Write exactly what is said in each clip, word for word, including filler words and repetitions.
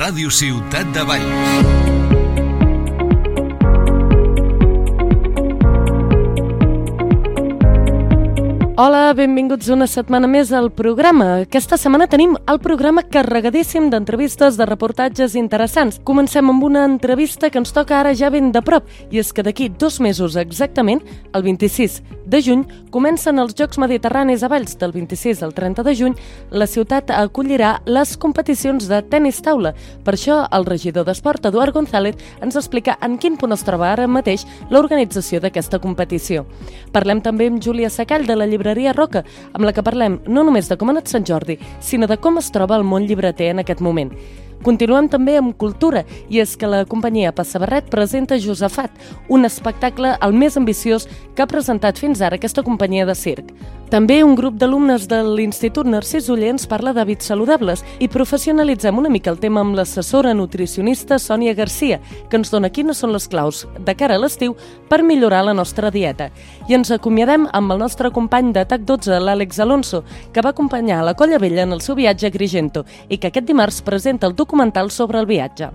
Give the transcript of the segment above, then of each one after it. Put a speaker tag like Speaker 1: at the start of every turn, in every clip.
Speaker 1: Ràdio Ciutat de Valls.
Speaker 2: Hola, benvinguts una setmana més al programa. Aquesta setmana tenim el programa carregadíssim d'entrevistes, de reportatges interessants. Comencem amb una entrevista que ens toca ara ja ben de prop, i és que d'aquí dos mesos exactament, el vint-i-sis de juny, comencen els Jocs Mediterranis a Valls. Del vint-i-sis al trenta de juny, la ciutat acollirà les competicions de tenis taula. Per això, el regidor d'Esport, Eduard González, ens explica en quin punt es troba ara mateix l'organització d'aquesta competició. Parlem també amb Júlia Sacall, de la llibreria Roca, amb la que parlem no només de com ha anat Sant Jordi, sinó de com es troba el món llibreter en aquest moment. Continuem també amb cultura, i és que la companyia Passabarret presenta Josafat, un espectacle el més ambiciós que ha presentat fins ara aquesta companyia de circ. També un grup d'alumnes de l'Institut Narcís Oller ens parla d'hàbits saludables i professionalitzem una mica el tema amb l'assessora nutricionista Sònia Garcia, que ens dona quines són les claus de cara a l'estiu per millorar la nostra dieta. I ens acomiadem amb el nostre company de T A C dotze, l'Àlex Alonso, que va acompanyar la Colla Vella en el seu viatge a Agrigento i que aquest dimarts presenta el documental sobre el viatge.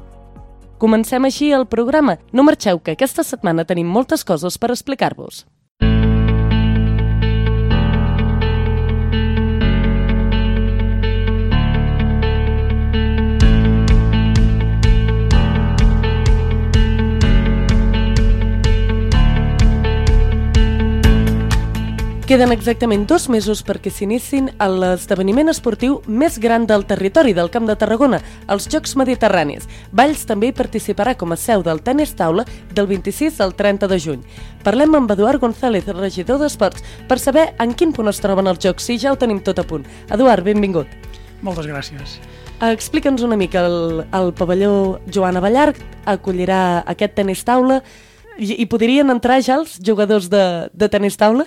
Speaker 2: Comencem així el programa. No marxeu, que aquesta setmana tenim moltes coses per explicar-vos. Queden exactament dos mesos perquè s'iniciïn a l'esdeveniment esportiu més gran del territori del Camp de Tarragona, els Jocs Mediterranis. Valls també hi participarà com a seu del tenis taula del vint-i-sis al trenta de juny. Parlem amb Eduard González, regidor d'Esports, per saber en quin punt es troben els Jocs, si ja ho tenim tot a punt. Eduard, benvingut.
Speaker 3: Moltes gràcies.
Speaker 2: Explica'ns una mica, el, el pavelló Joan Abellar acollirà aquest tenis taula i, i podrien entrar ja els jugadors de, de tenis taula?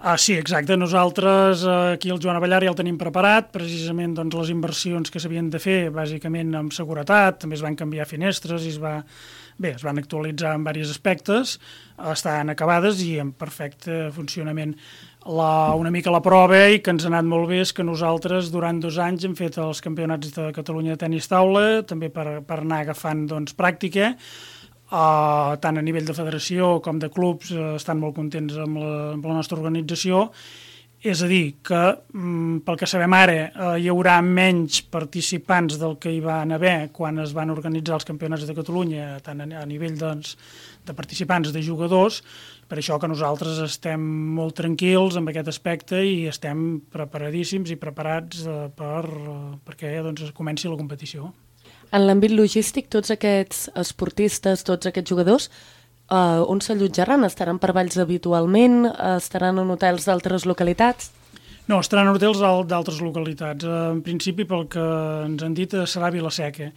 Speaker 3: Ah, sí, exacte. Nosaltres eh, aquí al Joan Abellar ja el tenim preparat, precisament doncs, les inversions que s'havien de fer, bàsicament amb seguretat, també es van canviar finestres i es, va, bé, es van actualitzar en diversos aspectes, estan acabades i en perfecte funcionament. La, una mica la prova i que ens ha anat molt bé és que nosaltres durant dos anys hem fet els campionats de Catalunya de tenis taula, també per, per anar agafant doncs, pràctica. Uh, tant a nivell de federació com de clubs uh, estan molt contents amb la, amb la nostra organització. És a dir, que um, pel que sabem ara uh, hi haurà menys participants del que hi van haver quan es van organitzar els campionats de Catalunya, tant a, a nivell doncs, de participants, de jugadors. Per això que nosaltres estem molt tranquils amb aquest aspecte i estem preparadíssims i preparats uh, per, uh, perquè doncs, comenci la competició.
Speaker 2: En l'àmbit logístic, tots aquests esportistes, tots aquests jugadors, eh, on s'allotjaran? Estaran per Valls habitualment? Estaran en hotels d'altres localitats?
Speaker 3: No, estaran en hotels d'altres localitats. En principi, pel que ens han dit, serà Vila-seca.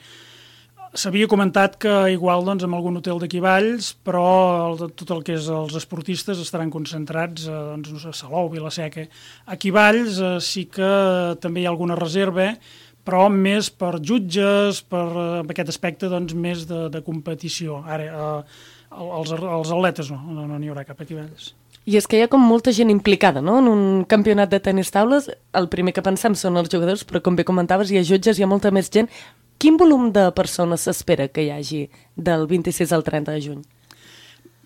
Speaker 3: S'havia comentat que igual doncs, en algun hotel d'aquí Valls, però el, tot el que és els esportistes estaran concentrats eh, doncs, no sé, a Salou, Vila-seca. Aquí Valls eh, sí que també hi ha alguna reserva, però més per jutges, per uh, aquest aspecte doncs, més de, de competició. Ara, uh, els, els atletes no, no, no n'hi haurà cap aquí Valls.
Speaker 2: I és que hi ha com molta gent implicada, no?, en un campionat de tenis taules. El primer que pensem són els jugadors, però com bé comentaves, hi ha jutges, hi ha molta més gent. Quin volum de persones s'espera que hi hagi del vint-i-sis al trenta de juny?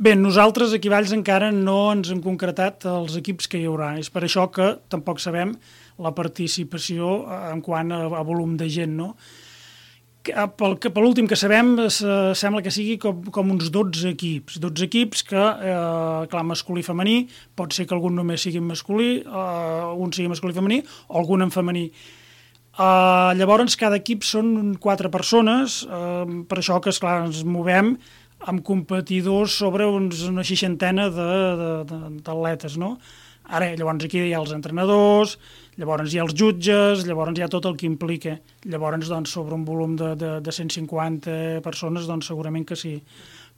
Speaker 3: Bé, nosaltres aquí a Valls encara no ens hem concretat els equips que hi haurà. És per això que tampoc sabem la participació en quant a, a volum de gent, no? Pel, per l'últim que sabem, se, sembla que sigui com, com uns dotze equips. dotze equips que, eh, clar, masculí i femení, pot ser que algun només sigui masculí, eh, un sigui masculí i femení, o algun en femení. Eh, llavors, cada equip són quatre persones, eh, per això que, esclar, ens movem amb competidors sobre uns, una seixantena d'atletes, no? Ara, llavors aquí hi ha els entrenadors, llavors hi ha els jutges, llavors hi ha tot el que implica. Llavors, doncs, sobre un volum de, de, de cent cinquanta persones, doncs segurament que sí.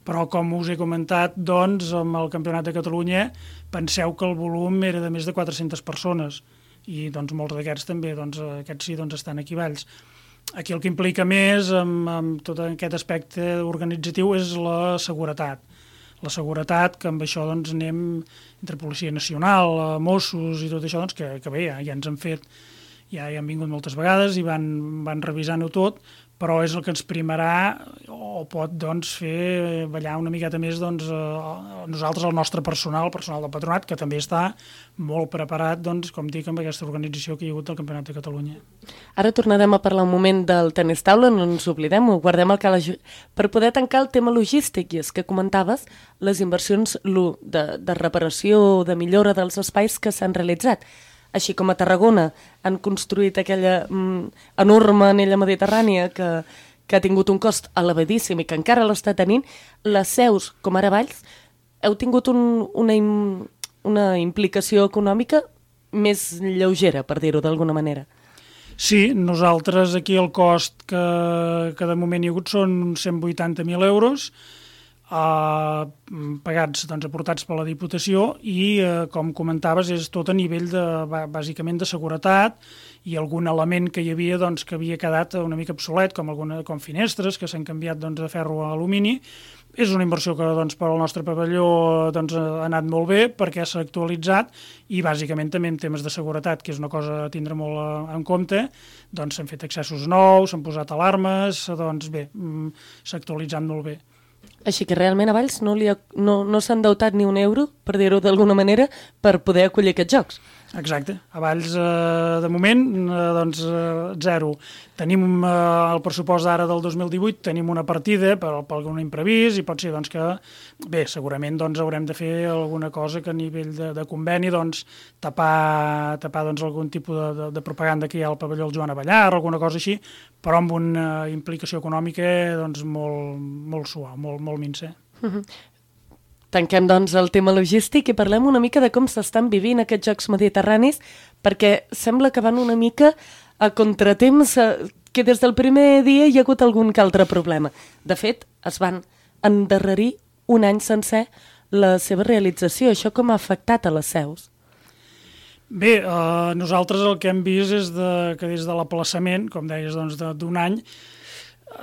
Speaker 3: Però, com us he comentat, doncs, amb el Campionat de Catalunya, penseu que el volum era de més de quatre-centes persones. I, doncs, molts d'aquests també, doncs, aquests sí, doncs, estan aquí a Valls. Aquí el que implica més, amb, amb tot aquest aspecte organitzatiu, és la seguretat. La seguretat, que amb això doncs, anem entre Policia Nacional, Mossos i tot això, doncs, que, que bé, ja, ja ens han fet, ja hi han vingut moltes vegades i van, van revisant-ho tot, però és el que ens primarà o pot doncs, fer ballar una miqueta més doncs, eh, nosaltres, el nostre personal, el personal del patronat, que també està molt preparat, doncs, com dic, amb aquesta organització que hi ha hagut del Campionat de Catalunya.
Speaker 2: Ara tornarem a parlar un moment del tenis taula, no ens oblidem, ho guardem al calaix per poder tancar el tema logístic, i és que comentaves les inversions de, de reparació, de millora dels espais que s'han realitzat. Així com a Tarragona han construït aquella mm, enorme anella mediterrània que, que ha tingut un cost elevadíssim i que encara l'està tenint, les seus, com ara Valls, heu tingut un, una, una implicació econòmica més lleugera, per dir-ho d'alguna manera.
Speaker 3: Sí, nosaltres aquí el cost que, que de moment hi ha hagut són uns cent vuitanta mil euros, Uh, pagats, doncs, aportats per la Diputació i, uh, com comentaves, és tot a nivell de, bàsicament de seguretat i algun element que hi havia doncs, que havia quedat una mica obsolet, com, alguna, com finestres que s'han canviat doncs, de ferro a alumini. És una inversió que doncs, per al nostre pavelló doncs, ha anat molt bé perquè s'ha actualitzat i bàsicament també en temes de seguretat, que és una cosa a tindre molt en compte, doncs s'han fet accessos nous, s'han posat alarmes, doncs bé, s'ha actualitzat molt bé.
Speaker 2: Així que realment a Valls no, li ha, no, no s'ha endeutat ni un euro, per dir-ho d'alguna manera, per poder acollir aquests jocs.
Speaker 3: Exacte. A Valls, eh, de moment, eh, doncs, eh, zero. Tenim eh, el pressupost d'ara del dos mil divuit, tenim una partida per, per algun imprevist i pot ser doncs, que, bé, segurament doncs, haurem de fer alguna cosa que a nivell de, de conveni doncs, tapar, tapar doncs, algun tipus de, de, de propaganda que hi ha al pavelló el Joan Avellar, alguna cosa així, però amb una implicació econòmica doncs, molt, molt suau, molt, molt minsa.
Speaker 2: Uh-huh. Tanquem, doncs, el tema logístic i parlem una mica de com s'estan vivint aquests Jocs Mediterranis, perquè sembla que van una mica a contratemps, que des del primer dia hi ha hagut algun que altre problema. De fet, es van endarrerir un any sencer la seva realització. Això com ha afectat a les seus?
Speaker 3: Bé, eh, nosaltres el que hem vist és de, que des de l'aplaçament, com deies, doncs, d'un any,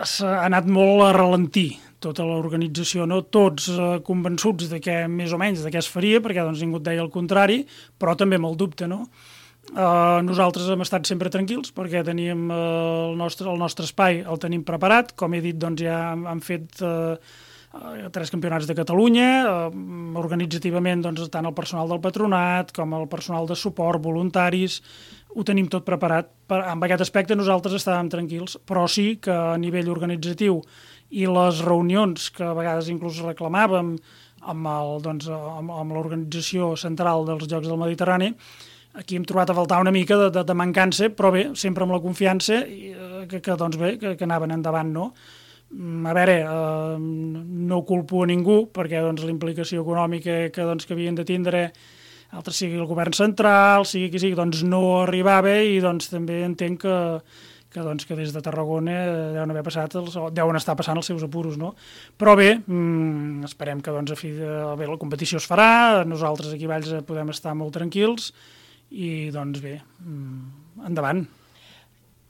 Speaker 3: s'ha anat molt a ralentir tota l'organització, no? Tots eh, convençuts de que més o menys de què es faria, perquè doncs, ningú et deia el contrari, però també amb el dubte, no? Eh, nosaltres hem estat sempre tranquils perquè teníem eh, el, nostre, el nostre espai, el tenim preparat, com he dit, doncs ja han, han fet eh, tres campionats de Catalunya, eh, organitzativament doncs, tant el personal del patronat com el personal de suport, voluntaris, ho tenim tot preparat. Per, en aquest aspecte nosaltres estàvem tranquils, però sí que a nivell organitzatiu i les reunions que a vegades inclús reclamàvem amb, el, doncs, amb, amb l'organització central dels Jocs del Mediterrani, aquí hem trobat a faltar una mica de, de, de mancança, però bé, sempre amb la confiança que, que, doncs bé, que, que anaven endavant, no? A veure, eh, no culpo a ningú, perquè doncs, la implicació econòmica que, doncs, que havien de tindre, altres sigui el govern central, sigui qui sigui, doncs no arribava i doncs també entenc que que, doncs, que des de Tarragona deuen haver passat, els, deuen estar passant els seus apuros, no? Però bé, mmm, esperem que doncs, a fi de, bé, la competició es farà, nosaltres aquí a Valls podem estar molt tranquils i doncs bé, mmm, endavant.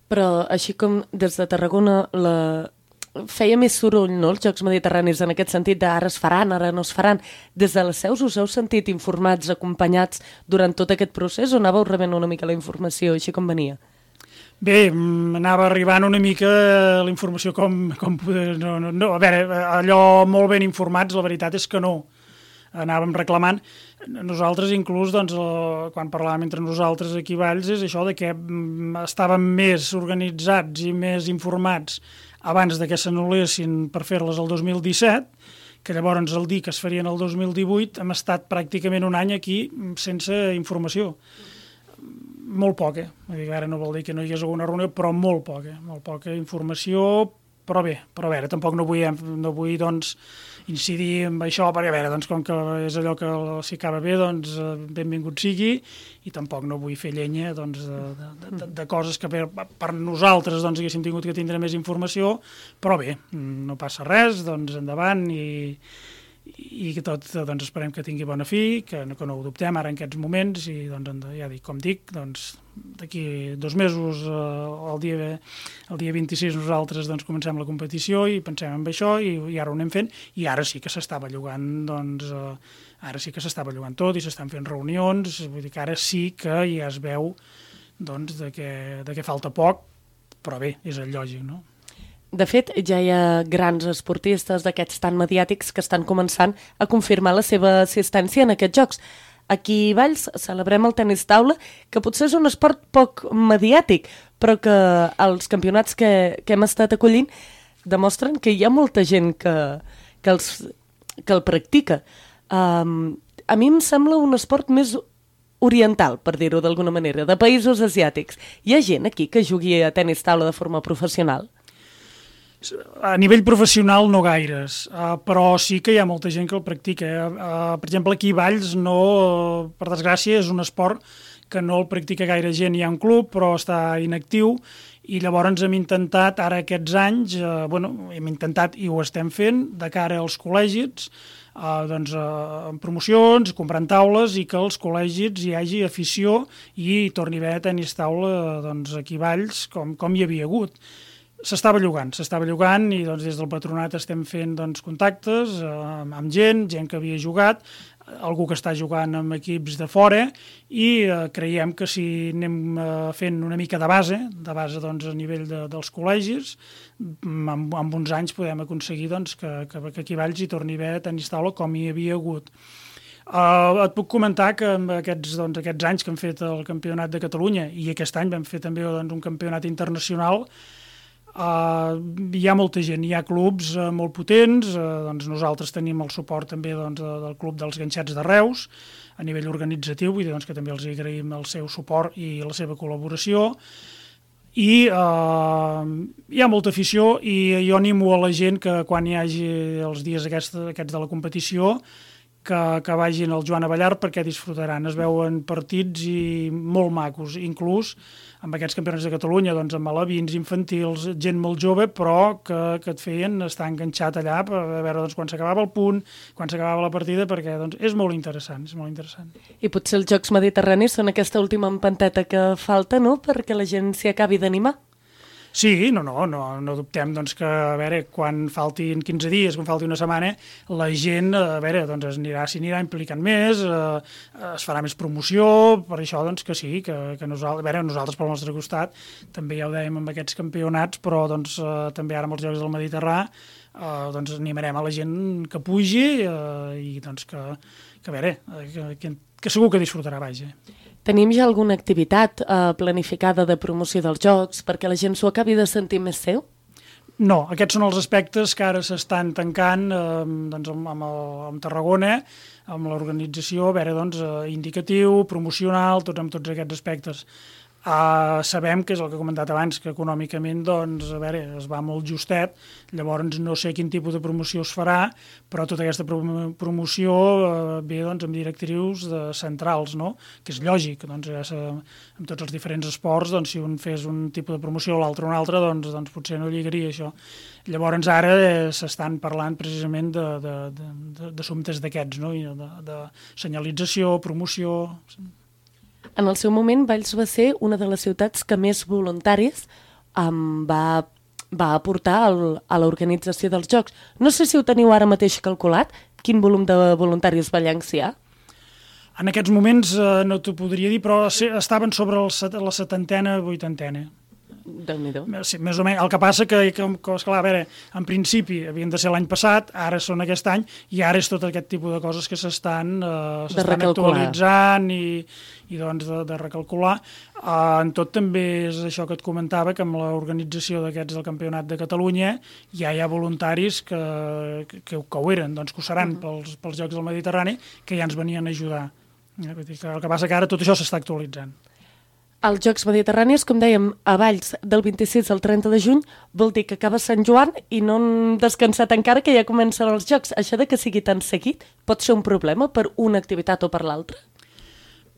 Speaker 2: Però així com des de Tarragona la... feia més soroll, no?, els Jocs Mediterranis en aquest sentit de ara es faran, ara no es faran. Des de les seus us heu sentit informats, acompanyats durant tot aquest procés o anàveu rebent una mica la informació així com venia?
Speaker 3: Bé, anava arribant una mica la informació com... com no, no, no, a veure, allò molt ben informats, la veritat és que no. Anàvem reclamant. Nosaltres, inclús, doncs, quan parlàvem entre nosaltres aquí a Valls, és això de que estàvem més organitzats i més informats abans de que s'anul·lessin per fer-les el dos mil disset, que llavors el dir que es farien el dos mil divuit hem estat pràcticament un any aquí sense informació. Molt poca, ara no vol dir que no hi hagués alguna reunió, però molt poca, molt poca informació, però bé, però a veure, tampoc no vull, no vull doncs, incidir en això, perquè a veure, doncs, com que és allò que si acaba bé, doncs benvingut sigui, i tampoc no vull fer llenya doncs, de, de, de, de coses que per, per nosaltres doncs, haguéssim tingut que tindre més informació, però bé, no passa res, doncs endavant, i, i que tot doncs, esperem que tingui bona fi, que no, que no ho dubtem ara en aquests moments, i doncs, ja dic, com dic, doncs, d'aquí dos mesos, eh, el, dia, el dia vint-i-sis, nosaltres doncs, comencem la competició i pensem en això, i, i ara ho anem fent, i ara sí que s'està bellugant, doncs, eh, ara sí que s'està bellugant tot, i s'estan fent reunions, vull dir que ara sí que ja es veu doncs, de, que, de que falta poc, però bé, és el lògic, no?
Speaker 2: De fet, ja hi ha grans esportistes d'aquests tan mediàtics que estan començant a confirmar la seva assistència en aquests jocs. Aquí a Valls celebrem el tenis taula, que potser és un esport poc mediàtic, però que els campionats que, que hem estat acollint demostren que hi ha molta gent que, que, els, que el practica. Um, a mi em sembla un esport més oriental, per dir-ho d'alguna manera, de països asiàtics. Hi ha gent aquí que jugui a tenis taula de forma professional?
Speaker 3: A nivell professional no gaires, uh, però sí que hi ha molta gent que el practica. Uh, per exemple, aquí a Valls, no, uh, per desgràcia, és un esport que no el practica gaire gent. Hi ha un club, però està inactiu, i llavors hem intentat, ara aquests anys, uh, bueno, hem intentat i ho estem fent, de cara als col·legis, uh, doncs, uh, en promocions, comprant taules, i que als col·legis hi hagi afició i hi torni a haver tenis taula doncs, aquí a Valls, com, com hi havia hagut. S'estava llogant, s'estava llogant i doncs, des del patronat estem fent doncs, contactes eh, amb gent, gent que havia jugat, algú que està jugant amb equips de fora, i eh, creiem que si anem eh, fent una mica de base, de base doncs, a nivell de, dels col·legis, amb, amb uns anys podem aconseguir doncs, que, que, que aquí a Valls hi torni a haver tenis taula com hi havia hagut. Uh, et puc comentar que amb aquests, doncs, aquests anys que hem fet el Campionat de Catalunya, i aquest any vam fer també doncs, un campionat internacional, Uh, hi ha molta gent, hi ha clubs uh, molt potents, uh, doncs nosaltres tenim el suport també doncs, del Club dels Ganxets de Reus a nivell organitzatiu, vull dir doncs, que també els agraïm el seu suport i la seva col·laboració, i uh, hi ha molta afició, i jo animo a la gent que quan hi hagi els dies aquests, aquests de la competició que, que vagin al Joan Abellar, perquè disfrutaran. Es veuen partits i molt macos, inclús amb aquests campionats de Catalunya, doncs, amb alevins, infantils, gent molt jove, però que, que et feien estar enganxat allà per veure doncs, quan s'acabava el punt, quan s'acabava la partida, perquè doncs, és molt interessant, és molt interessant.
Speaker 2: I potser els Jocs Mediterranis són aquesta última empanteta que falta, no?, perquè la gent s'hi acabi d'animar.
Speaker 3: Sí, no, no, no, no dubtem doncs, que, a veure, quan faltin quinze dies, quan falti una setmana, la gent, a veure, doncs es anirà, s'hi anirà implicant més, eh, es farà més promoció, per això doncs que sí, que, que nosaltres, a veure, nosaltres pel nostre costat, també ja ho dèiem amb aquests campionats, però doncs eh, també ara amb els Jocs del Mediterrani, eh, doncs animarem a la gent que pugi eh, i doncs que, que a veure, que, que, que segur que disfrutarà, vaja.
Speaker 2: Tenim ja alguna activitat eh, planificada de promoció dels Jocs perquè la gent s'ho acabi de sentir més seu?
Speaker 3: No, aquests són els aspectes que ara s'estan tancant eh, doncs amb, amb, el, amb Tarragona, amb l'organització, a veure, doncs, eh, indicatiu, promocional, tots amb tots aquests aspectes. Uh, sabem que és el que he comentat abans, que econòmicament doncs, a veure, es va molt justet, llavors no sé quin tipus de promoció es farà, però tota aquesta prom promoció uh, ve doncs, amb directrius de centrals, no? Que és lògic, doncs, ja amb tots els diferents esports, doncs, si un fes un tipus de promoció o l'altre un altre, doncs, doncs potser no lligaria això. Llavors ara eh, s'estan parlant precisament d'assumptes d'aquests, no? de, de senyalització, promoció...
Speaker 2: En el seu moment, Valls va ser una de les ciutats que més voluntaris um, va, va aportar al, a l'organització dels Jocs. No sé si ho teniu ara mateix calculat, quin volum de voluntaris vallencs hi ha?
Speaker 3: En aquests moments eh, no t'ho podria dir, però estaven sobre el, la setantena, vuitantena.
Speaker 2: Déu-n'hi-do.
Speaker 3: Sí, més o menys. El que passa que, que, que esclar, a veure, en principi havien de ser l'any passat, ara són aquest any, i ara és tot aquest tipus de coses que s'estan eh, actualitzant i, i doncs de, de recalcular. Uh, en tot també és això que et comentava, que amb l'organització d'aquests del Campionat de Catalunya ja hi ha voluntaris que, que, que ho eren, doncs que ho seran uh -huh. pels, pels Jocs del Mediterrani, que ja ens venien a ajudar. Eh, vull dir que el que passa que ara tot això s'està actualitzant.
Speaker 2: Els Jocs Mediterranis, com dèiem, a Valls del vint-i-sis al trenta de juny, vol dir que acaba Sant Joan i no hem descansat encara, que ja comencen els Jocs. Això de que sigui tan seguit pot ser un problema per una activitat o per l'altra?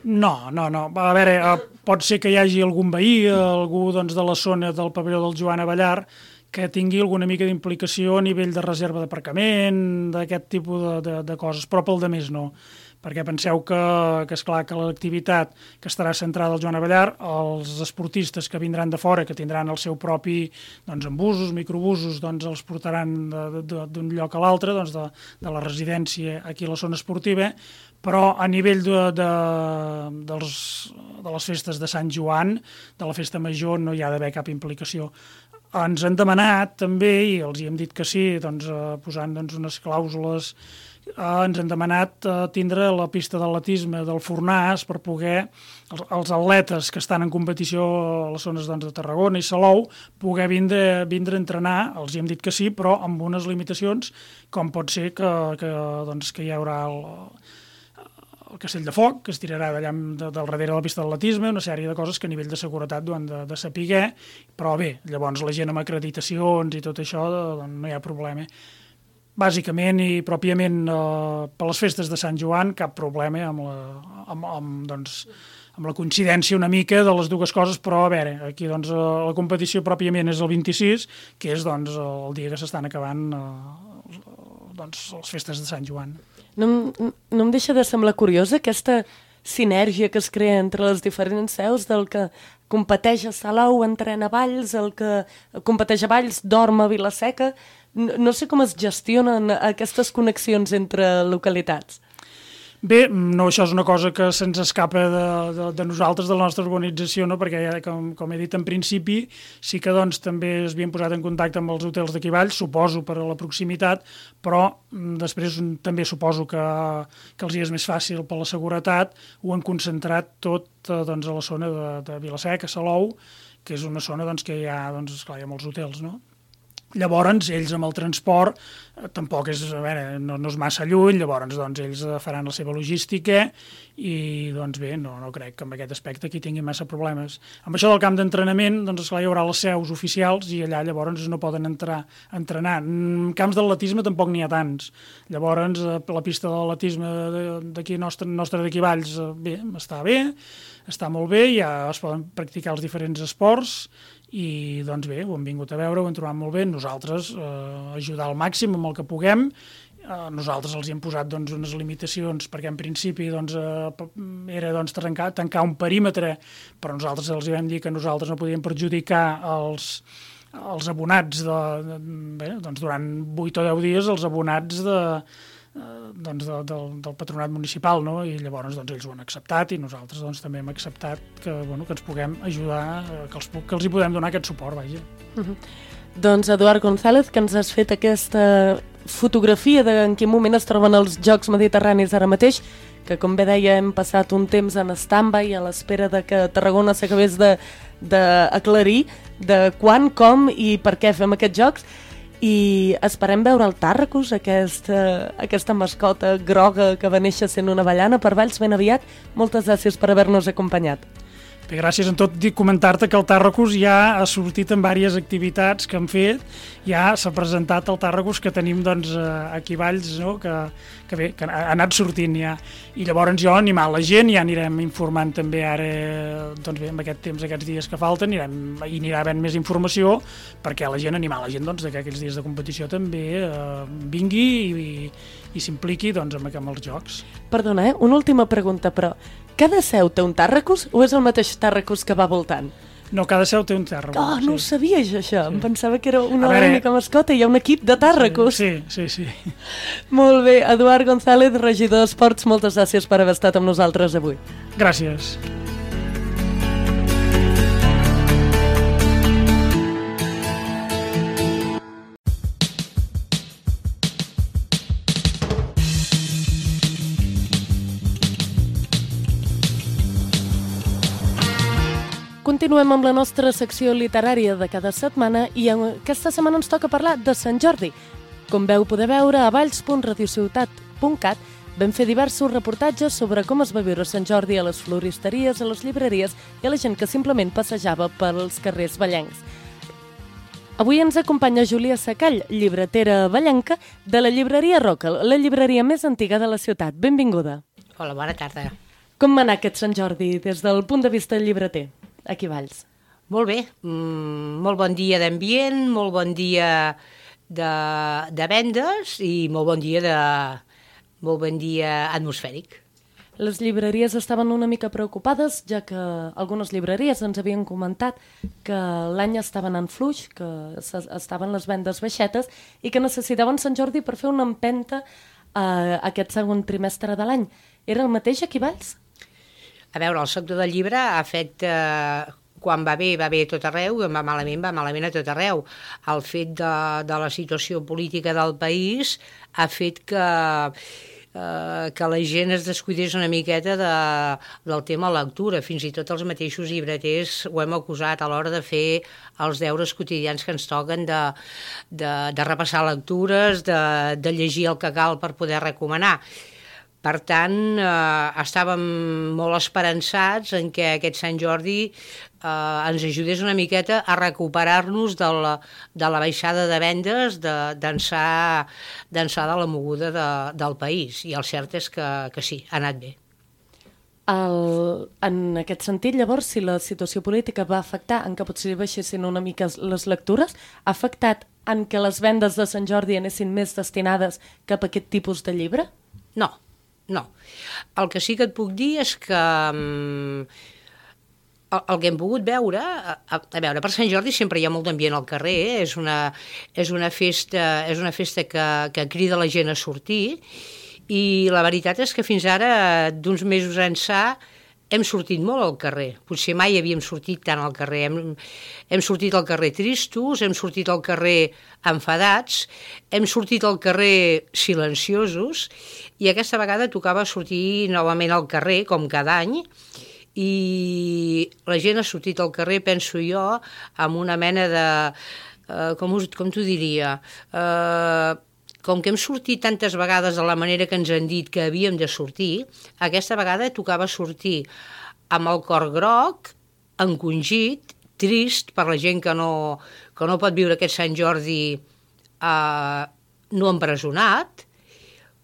Speaker 3: No, no, no. A veure, pot ser que hi hagi algun veí, algú doncs, de la zona del pavelló del Joan Abellar, que tingui alguna mica d'implicació a nivell de reserva d'aparcament, d'aquest tipus de, de, de coses, però pel de més no. Perquè penseu que, que esclar, que l'activitat que estarà centrada al Joan Abellar, els esportistes que vindran de fora, que tindran el seu propi doncs, embusos, microbusos, doncs els portaran d'un lloc a l'altre, doncs, de, de la residència aquí a la zona esportiva, però a nivell de, de, dels, de les festes de Sant Joan, de la festa major, no hi ha d'haver cap implicació. ens han demanat també, i els hi hem dit que sí, doncs, eh, posant doncs, unes clàusules, eh, ens han demanat eh, tindre la pista d'atletisme del Fornàs per poder, els, els atletes que estan en competició a les zones doncs, de Tarragona i Salou, poder vindre, vindre a entrenar, els hi hem dit que sí, però amb unes limitacions, com pot ser que, que, doncs, que hi haurà el, el castell de foc, que es tirarà d'allà de, del darrere de la pista d'atletisme, una sèrie de coses que a nivell de seguretat ho han de, de saber, però bé, llavors la gent amb acreditacions i tot això doncs, no hi ha problema. Bàsicament i pròpiament eh, per les festes de Sant Joan cap problema amb la, amb, amb, doncs, amb la coincidència una mica de les dues coses, però a veure, aquí doncs, la competició pròpiament és el vint-i-sis, que és doncs, el dia que s'estan acabant eh, doncs, les festes de Sant Joan.
Speaker 2: No, no em deixa de semblar curiosa aquesta sinergia que es crea entre les diferents seus del que competeix a Salou, entrena a Valls, el que competeix a Valls dorm a Vila-seca. No, no sé com es gestionen aquestes connexions entre localitats.
Speaker 3: Bé, no, això és una cosa que se'ns escapa de, de, de nosaltres, de la nostra organització, no? Perquè, ja, com, com he dit en principi, sí que doncs, també es havien posat en contacte amb els hotels d'aquí Valls, suposo per a la proximitat, però després també suposo que, que els hi és més fàcil per la seguretat, ho han concentrat tot doncs, a la zona de, de Vila-seca, Salou, que és una zona doncs, que hi ha, doncs, esclar, hi ha molts hotels, no? Llavors, ells amb el transport eh, tampoc és, a veure, no, no és massa lluny, llavors doncs, ells faran la seva logística i doncs bé, no, no crec que amb aquest aspecte aquí tinguin massa problemes. Amb això del camp d'entrenament, doncs esclar, hi haurà les seus oficials i allà llavors no poden entrar a entrenar. En camps d'atletisme tampoc n'hi ha tants. Llavors, la pista d'atletisme d'aquí nostre, nostre d'aquí Valls, bé, està bé, està molt bé, ja es poden practicar els diferents esports i doncs bé, ho hem vingut a veure, ho hem trobat molt bé, nosaltres eh, ajudar al màxim amb el que puguem, eh, nosaltres els hi hem posat doncs, unes limitacions perquè en principi doncs, eh, era doncs, tancar, tancar un perímetre, però nosaltres els hi vam dir que nosaltres no podíem perjudicar els, els abonats de, de, bé, doncs, durant vuit o deu dies, els abonats de doncs de, de, del patronat municipal, no? I llavors doncs, ells ho han acceptat i nosaltres doncs, també hem acceptat que, bueno, que ens puguem ajudar, que els, que els hi podem donar aquest suport, vaja.
Speaker 2: Uh-huh. Doncs Eduard González, que ens has fet aquesta fotografia de en quin moment es troben els Jocs Mediterranis ara mateix, que com bé deia hem passat un temps en stand-by a l'espera de que Tarragona s'acabés d'aclarir de, de quan, com i per què fem aquests jocs. I esperem veure el Tàrracus, aquesta, aquesta mascota groga que va néixer sent una avellana per Valls ben aviat. Moltes gràcies per haver-nos acompanyat.
Speaker 3: Bé, gràcies. En tot, dic comentar-te que el Tàrracus ja ha sortit en diverses activitats que han fet, ja s'ha presentat el Tàrracus que tenim doncs, aquí a Valls, no? que, que bé, que ha anat sortint ja. I llavors jo, animar la gent, ja anirem informant també ara, doncs bé, en aquest temps, aquests dies que falten, anirem, i anirà havent més informació, perquè la gent, animar la gent doncs, que aquests dies de competició també eh, vingui i, i, i s'impliqui doncs, amb, amb els jocs.
Speaker 2: Perdona, eh? Una última pregunta, però cada seu té un Tàrracus o és el mateix Tàrracus que va voltant?
Speaker 3: No, cada seu té un Tàrracus.
Speaker 2: Oh, no
Speaker 3: sí.
Speaker 2: ho sabia jo, això. Sí. Em pensava que era una
Speaker 3: veure,
Speaker 2: única mascota i hi ha un equip de Tàrracus.
Speaker 3: Sí, sí, sí.
Speaker 2: Molt bé. Eduard González, regidor d'Esports, moltes gràcies per haver estat amb nosaltres avui.
Speaker 3: Gràcies.
Speaker 2: Continuem amb la nostra secció literària de cada setmana i aquesta setmana ens toca parlar de Sant Jordi. Com veu poder veure, a valls punt radiociutat punt cat vam fer diversos reportatges sobre com es va viure Sant Jordi a les floristeries, a les llibreries i a la gent que simplement passejava pels carrers vallencs. Avui ens acompanya Júlia Sacall, llibretera vallenca de la llibreria Roca, la llibreria més antiga de la ciutat. Benvinguda.
Speaker 4: Hola, bona tarda.
Speaker 2: Com va anar aquest Sant Jordi des del punt de vista llibreter? Aquí a Valls.
Speaker 4: Molt bé, mm, molt bon dia d'ambient, molt bon dia de, de vendes i molt bon dia de molt bon dia atmosfèric.
Speaker 2: Les llibreries estaven una mica preocupades, ja que algunes llibreries ens havien comentat que l'any estaven en fluix, que estaven les vendes baixetes i que necessitaven Sant Jordi per fer una empenta a aquest segon trimestre de l'any. Era el mateix aquí a Valls?
Speaker 4: A veure, el sector del llibre ha fet eh, quan va bé, va bé a tot arreu, i quan va malament, va malament a tot arreu. El fet de, de la situació política del país ha fet que, eh, que la gent es descuidés una miqueta de, del tema lectura. Fins i tot els mateixos llibreters ho hem acusat a l'hora de fer els deures quotidians que ens toquen de, de, de repassar lectures, de, de llegir el que cal per poder recomanar. Per tant, eh, estàvem molt esperançats en que aquest Sant Jordi eh, ens ajudés una miqueta a recuperar-nos de la, de la baixada de vendes d'ençà de la moguda de, del país. I el cert és que, que sí, ha anat bé.
Speaker 2: El, en aquest sentit, llavors, si la situació política va afectar en que potser baixessin una mica les lectures, ha afectat en que les vendes de Sant Jordi anessin més destinades cap a aquest tipus de llibre?
Speaker 4: No. No. El que sí que et puc dir és que um, el, el que hem pogut veure, a, a veure, per Sant Jordi sempre hi ha molt d'ambient al carrer, eh? és, una, és una festa, és una festa que, que crida la gent a sortir, i la veritat és que fins ara, d'uns mesos ençà, hem sortit molt al carrer. Potser mai havíem sortit tant al carrer. Hem, hem sortit al carrer tristos, hem sortit al carrer enfadats, hem sortit al carrer silenciosos, i aquesta vegada tocava sortir novament al carrer, com cada any, i la gent ha sortit al carrer, penso jo, amb una mena de... Eh, com, us, com t'ho diria? Eh, com que hem sortit tantes vegades de la manera que ens han dit que havíem de sortir, aquesta vegada tocava sortir amb el cor groc, encongit, trist per la gent que no, que no pot viure aquest Sant Jordi eh, no empresonat,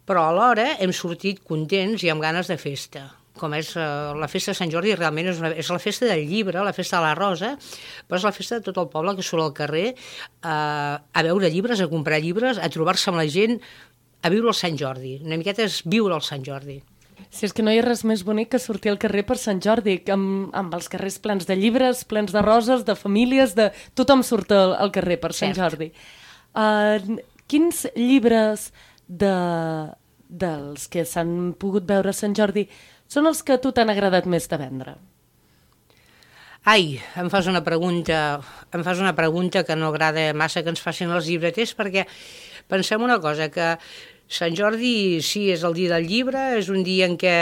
Speaker 4: però alhora hem sortit contents i amb ganes de festa. Com és eh, la festa de Sant Jordi, realment és, una, és la festa del llibre, la festa de la rosa, però és la festa de tot el poble que surt al carrer eh, a veure llibres, a comprar llibres, a trobar-se amb la gent, a viure el Sant Jordi. Una miqueta és viure el Sant Jordi.
Speaker 2: Si és que no hi ha res més bonic que sortir al carrer per Sant Jordi, amb, amb els carrers plens de llibres, plens de roses, de famílies, de... tothom surt al, al carrer per Sant Cert. Jordi. Uh, quins llibres de, dels que s'han pogut veure a Sant Jordi són els que a tu t'han agradat més de vendre?
Speaker 4: Ai, em fas una pregunta, em fas una pregunta que no agrada massa que ens facin els llibreters, perquè pensem una cosa, que Sant Jordi sí, és el dia del llibre, és un dia en què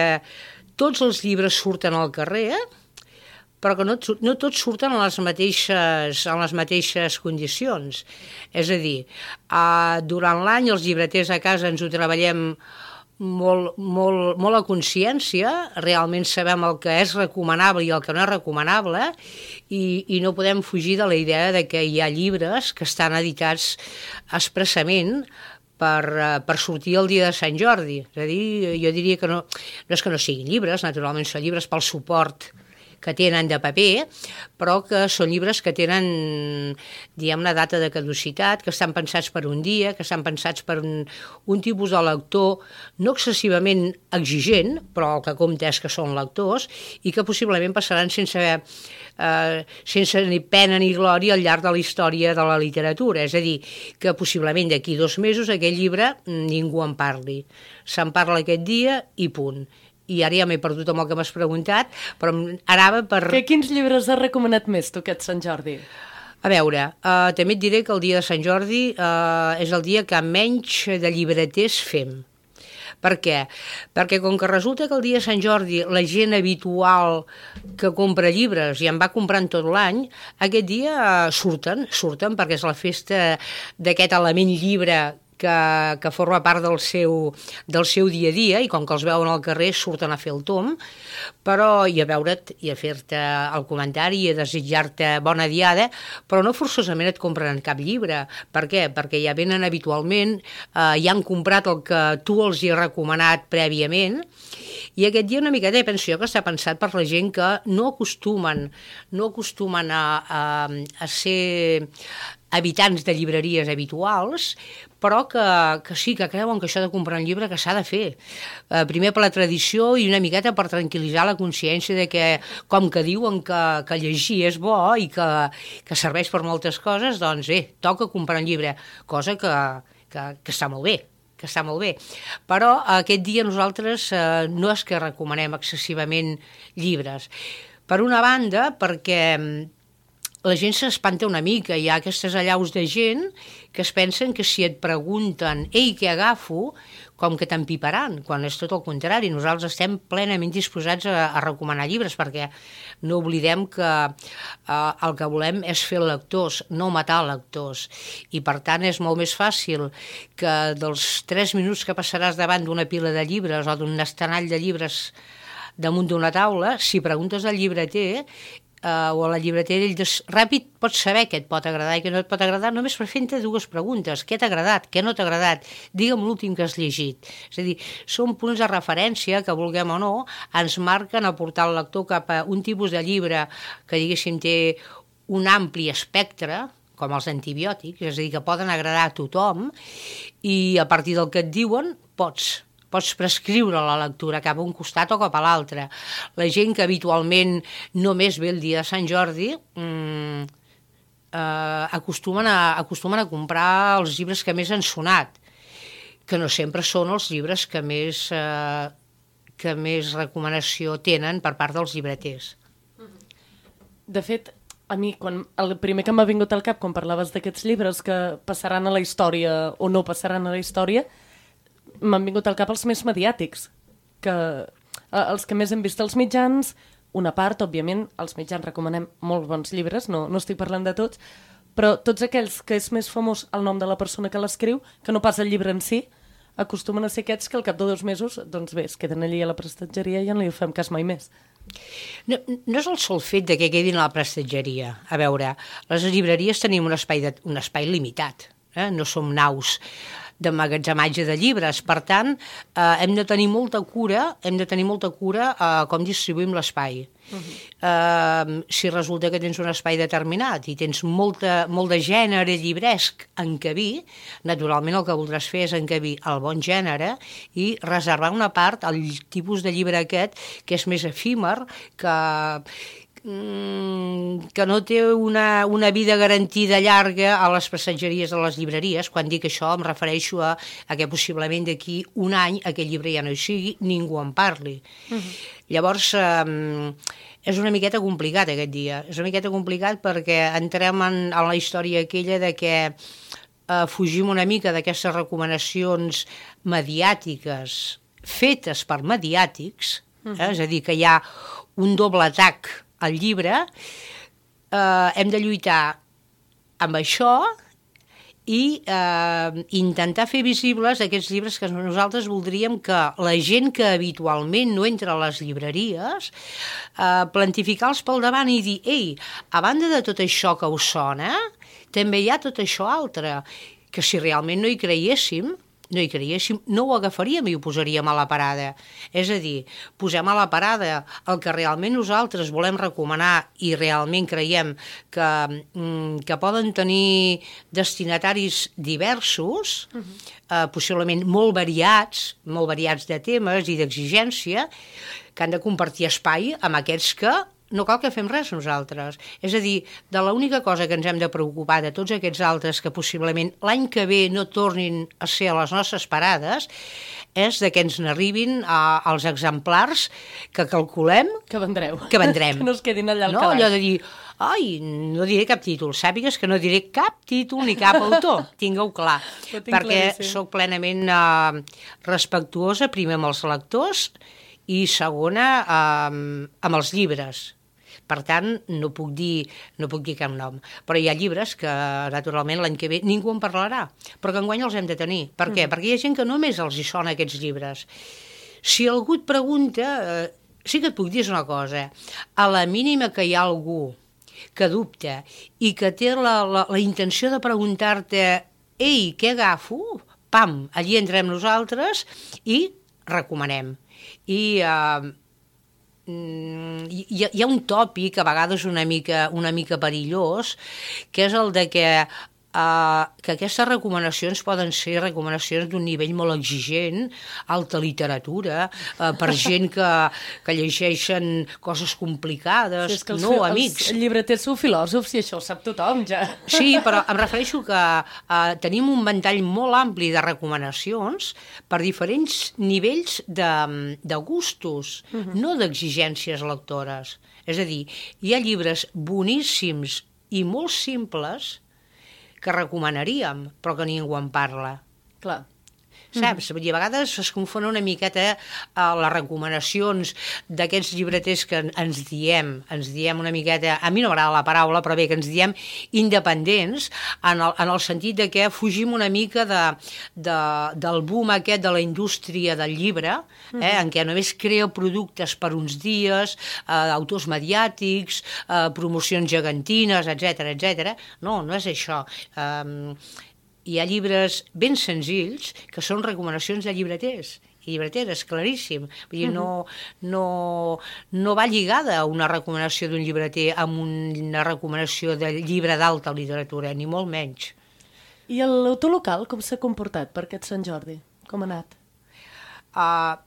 Speaker 4: tots els llibres surten al carrer, però que no, no tots surten en les mateixes, en les mateixes condicions. És a dir, uh, durant l'any els llibreters a casa ens ho treballem molt, molt, molt a consciència, realment sabem el que és recomanable i el que no és recomanable, i, i no podem fugir de la idea de que hi ha llibres que estan editats expressament per, per sortir el dia de Sant Jordi. És a dir, jo diria que no, no és que no siguin llibres, naturalment són llibres pel suport que tenen de paper, però que són llibres que tenen, diguem, una data de caducitat, que estan pensats per un dia, que estan pensats per un, un tipus de lector no excessivament exigent, però el que compta és que són lectors, i que possiblement passaran sense, eh, sense ni pena ni glòria al llarg de la història de la literatura. És a dir, que possiblement d'aquí dos mesos aquest llibre ningú en parli. Se'n parla aquest dia i punt. I ara ja m'he perdut amb el que m'has preguntat, però anava per...
Speaker 2: Que quins llibres has recomanat més tu aquest Sant Jordi?
Speaker 4: A veure, uh, també et diré que el dia de Sant Jordi uh, és el dia que menys de llibreters fem. Per què? Perquè com que resulta que el dia de Sant Jordi la gent habitual que compra llibres i en va comprant tot l'any, aquest dia uh, surten, surten perquè és la festa d'aquest element llibre Que, que forma part del seu, del seu dia a dia, i com que els veuen al carrer surten a fer el tom, però i a veure't i a fer-te el comentari i a desitjar-te bona diada, però no forçosament et compren cap llibre. Per què? Perquè ja venen habitualment, eh, ja han comprat el que tu els hi has recomanat prèviament, i aquest dia una miqueta penso jo que està pensat per la gent que no acostumen, no acostumen a, a, a ser habitants de llibreries habituals, però que, que sí, que creuen que això de comprar un llibre que s'ha de fer. Eh, primer per la tradició i una miqueta per tranquil·litzar la consciència de que, com que diuen que, que llegir és bo i que, que serveix per moltes coses, doncs bé, toca comprar un llibre, cosa que, que, que està molt bé. que està molt bé, però aquest dia nosaltres eh, no és que recomanem excessivament llibres. Per una banda, perquè la gent s'espanta una mica, hi ha aquestes allaus de gent que es pensen que si et pregunten «Ei, què agafo?», com que t'empiparan, quan és tot el contrari. Nosaltres estem plenament disposats a, a recomanar llibres, perquè no oblidem que eh, el que volem és fer lectors, no matar lectors. I per tant és molt més fàcil que dels tres minuts que passaràs davant d'una pila de llibres o d'un estenall de llibres damunt d'una taula, si preguntes al llibreter Uh, o a la llibretera, ell des... ràpid pots saber què et pot agradar i què no et pot agradar només per fer-te dues preguntes. Què t'ha agradat? Què no t'ha agradat? Digue'm l'últim que has llegit. És a dir, són punts de referència que, vulguem o no, ens marquen a portar el lector cap a un tipus de llibre que, diguéssim, té un ampli espectre, com els antibiòtics, és a dir, que poden agradar a tothom, i a partir del que et diuen pots pots prescriure la lectura cap a un costat o cap a l'altre. La gent que habitualment només ve el dia de Sant Jordi mmm, eh, acostumen, a, acostumen a comprar els llibres que més han sonat, que no sempre són els llibres que més, eh, que més recomanació tenen per part dels llibreters.
Speaker 2: De fet, a mi, quan, el primer que m'ha vingut al cap quan parlaves d'aquests llibres que passaran a la història o no passaran a la història, m'han vingut al cap els més mediàtics, que eh, els que més hem vist als mitjans, una part, òbviament, els mitjans recomanem molt bons llibres, no, no estic parlant de tots, però tots aquells que és més famós el nom de la persona que l'escriu, que no pas el llibre en si, acostumen a ser aquests que al cap de dos mesos, doncs bé, es queden allí a la prestatgeria i ja no li fem cas mai més.
Speaker 4: No, no és el sol fet de que quedin a la prestatgeria. A veure, les llibreries tenim un espai, de, un espai limitat, eh? No som naus d'emmagatzematge de llibres. Per tant, eh, hem de tenir molta cura, hem de tenir molta cura eh, com distribuïm l'espai. Uh-huh. Eh, si resulta que tens un espai determinat i tens molta, molt de gènere llibresc a encabir, naturalment el que voldràs fer és encabir el bon gènere i reservar una part al tipus de llibre aquest que és més efímer, que... que no té una, una vida garantida llarga a les passatgeries de les llibreries. Quan dic això em refereixo a, a que possiblement d'aquí un any aquell llibre ja no hi sigui, ningú en parli. Uh-huh. Llavors eh, és una miqueta complicat aquest dia, és una miqueta complicat perquè entrem en, en la història aquella de que eh, fugim una mica d'aquestes recomanacions mediàtiques fetes per mediàtics, uh-huh. eh, és a dir, que hi ha un doble atac al llibre, eh, hem de lluitar amb això i eh, intentar fer visibles aquests llibres que nosaltres voldríem que la gent que habitualment no entra a les llibreries eh, plantificar-los pel davant i dir, ei, a banda de tot això que us sona, també hi ha tot això altre, que si realment no hi creiéssim, no hi creiéssim, no ho agafaríem i ho posaríem a la parada. És a dir, posem a la parada el que realment nosaltres volem recomanar i realment creiem que, que poden tenir destinataris diversos, uh-huh. eh, possiblement molt variats, molt variats de temes i d'exigència, que han de compartir espai amb aquests que no cal que fem res nosaltres. És a dir, de l'única cosa que ens hem de preocupar de tots aquests altres que possiblement l'any que ve no tornin a ser a les nostres parades és de que ens n'arribin als exemplars que calculem
Speaker 2: que vendreu.
Speaker 4: Que vendrem.
Speaker 2: Que no es quedin allà al
Speaker 4: no,
Speaker 2: calaix.
Speaker 4: Allò de dir, ai, no diré cap títol, sàpigues que no diré cap títol ni cap autor, tingueu clar, perquè sóc plenament eh, respectuosa, primer amb els lectors i segona eh, amb els llibres. Per tant, no puc dir, no puc dir cap nom. Però hi ha llibres que, naturalment, l'any que ve ningú en parlarà, però que enguany els hem de tenir. Per què? Mm. Perquè hi ha gent que només els hi sona aquests llibres. Si algú et pregunta, eh, sí que et puc dir una cosa, a la mínima que hi ha algú que dubta i que té la, la, la intenció de preguntar-te ei, què agafo? Pam, allí entrem nosaltres i recomanem. I... Eh, Hi ha, hi ha un tòpic a vegades una mica, una mica perillós, que és el de que eh, uh, que aquestes recomanacions poden ser recomanacions d'un nivell molt exigent, alta literatura, uh, per gent que, que llegeixen coses complicades,
Speaker 2: sí, és que els,
Speaker 4: no, amics.
Speaker 2: Els llibreters sou filòsofs i això ho sap tothom, ja.
Speaker 4: Sí, però em refereixo que uh, tenim un ventall molt ampli de recomanacions per diferents nivells de, de gustos, uh-huh. no d'exigències lectores. És a dir, hi ha llibres boníssims i molt simples que recomanaríem, però que ningú en parla.
Speaker 2: Clar.
Speaker 4: Saps? Mm-hmm. I a vegades es confon una miqueta a les recomanacions d'aquests llibreters que ens diem, ens diem una miqueta, a mi no m'agrada la paraula, però bé, que ens diem independents, en el, en el sentit de que fugim una mica de, de, del boom aquest de la indústria del llibre, eh, mm-hmm. en què només crea productes per uns dies, eh, autors mediàtics, eh, promocions gegantines, etcètera, etcètera. No, no és això. Eh, Hi ha llibres ben senzills que són recomanacions de llibreters i llibreteres, claríssim. Vull dir, no, no, no va lligada una recomanació d'un llibreter amb una recomanació de llibre d'alta literatura, ni molt menys.
Speaker 2: I l'autor local com s'ha comportat per aquest Sant Jordi? Com ha anat?
Speaker 4: Uh,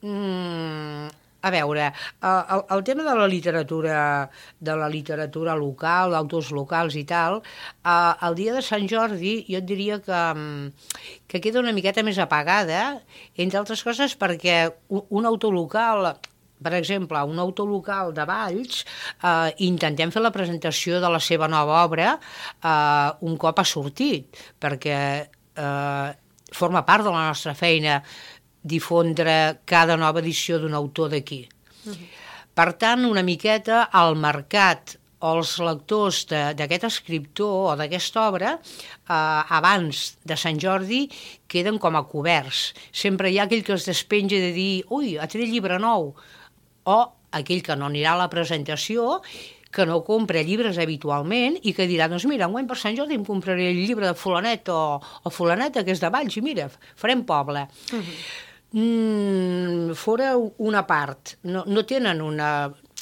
Speaker 4: mm, a veure, uh, el, el tema de la literatura de la literatura local, d'autors locals i tal, uh, el dia de Sant Jordi jo et diria que, que queda una miqueta més apagada, entre altres coses perquè un, un autor local, per exemple, un autor local de Valls, eh, intentem fer la presentació de la seva nova obra eh, un cop ha sortit, perquè eh, forma part de la nostra feina difondre cada nova edició d'un autor d'aquí. Uh-huh. Per tant, una miqueta al mercat o els lectors d'aquest escriptor o d'aquesta obra, eh, abans de Sant Jordi, queden com a coberts. Sempre hi ha aquell que es despenja de dir ui, ha tret llibre nou, o aquell que no anirà a la presentació, que no compra llibres habitualment i que dirà, doncs mira, enguany per Sant Jordi em compraré el llibre de fulanet o, o fulaneta, que és de Valls, i mira, farem poble. Uh-huh. Mm, fora una part, no, no tenen una...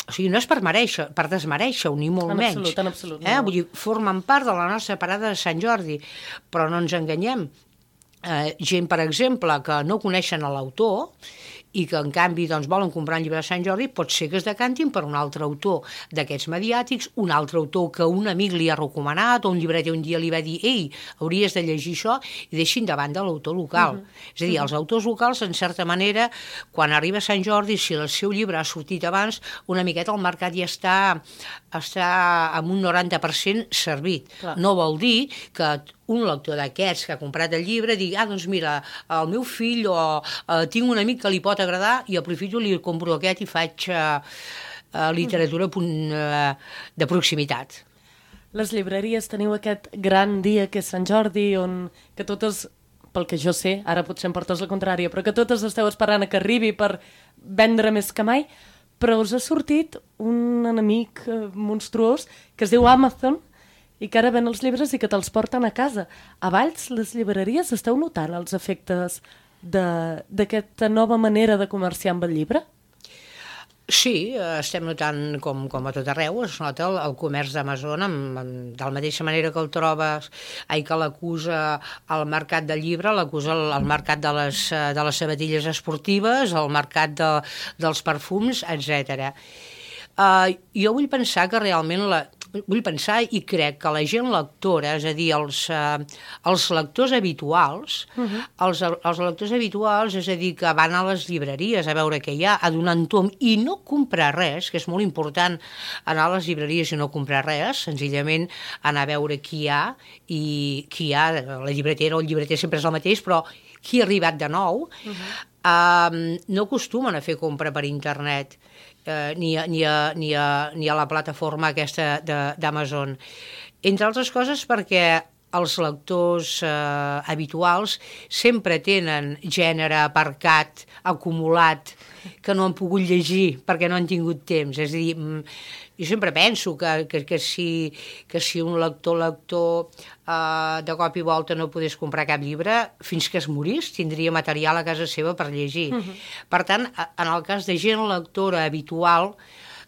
Speaker 4: O sigui, no és per mereixer, per desmereixer-ho, ni molt
Speaker 2: en
Speaker 4: menys.
Speaker 2: absolut, en absolut.
Speaker 4: Eh?
Speaker 2: No.
Speaker 4: Vull dir, formen part de la nostra parada de Sant Jordi, però no ens enganyem. Eh, gent, per exemple, que no coneixen l'autor i que, en canvi, doncs, volen comprar un llibre de Sant Jordi, pot ser que es decantin per un altre autor d'aquests mediàtics, un altre autor que un amic li ha recomanat, o un llibreter un dia li va dir ei, hauries de llegir això, i deixin de banda l'autor local. Uh-huh. És a dir, els autors locals, en certa manera, quan arriba Sant Jordi, si el seu llibre ha sortit abans, una miqueta el mercat ja està, està amb un noranta per cent servit. Clar. No vol dir que un lector d'aquests que ha comprat el llibre digui, ah, doncs mira, el meu fill o eh, tinc un amic que li pot agradar i aprofito, li compro aquest i faig eh, eh, literatura eh, de proximitat.
Speaker 2: Les llibreries teniu aquest gran dia que és Sant Jordi, on que totes, pel que jo sé, ara potser em portes la contrària, però que totes esteu esperant a que arribi per vendre més que mai, però us ha sortit un enemic eh, monstruós que es diu Amazon, i que ara ven els llibres i que te'ls porten a casa. A Valls, les llibreries, esteu notant els efectes d'aquesta nova manera de comerciar amb el llibre?
Speaker 4: Sí, estem notant, com, com a tot arreu, es nota el, el comerç d'Amazon, amb, amb, de la mateixa manera que el trobes, ai, que l'acusa al mercat del llibre, l'acusa al, al mercat de les, de les sabatilles esportives, al mercat de, dels perfums, etcètera. Uh, jo vull pensar que realment la, vull pensar i crec que la gent lectora, és a dir, els, uh, els lectors habituals, uh-huh. els, els lectors habituals, és a dir, que van a les llibreries a veure què hi ha, a donar un tom i no comprar res, que és molt important anar a les llibreries i no comprar res, senzillament anar a veure qui hi ha, i qui hi ha, la llibretera o el llibreter sempre és el mateix, però qui ha arribat de nou, uh-huh. uh, no acostumen a fer compra per internet, Eh, ni, a, ni, a, ni, a, ni a la plataforma aquesta d'Amazon. Entre altres coses perquè els lectors eh, habituals sempre tenen gènere aparcat, acumulat, que no han pogut llegir perquè no han tingut temps. És a dir, jo sempre penso que, que, que, si, que si un lector lector eh, de cop i volta no pogués comprar cap llibre, fins que es morís tindria material a casa seva per llegir. Uh-huh. Per tant, en el cas de gent lectora habitual,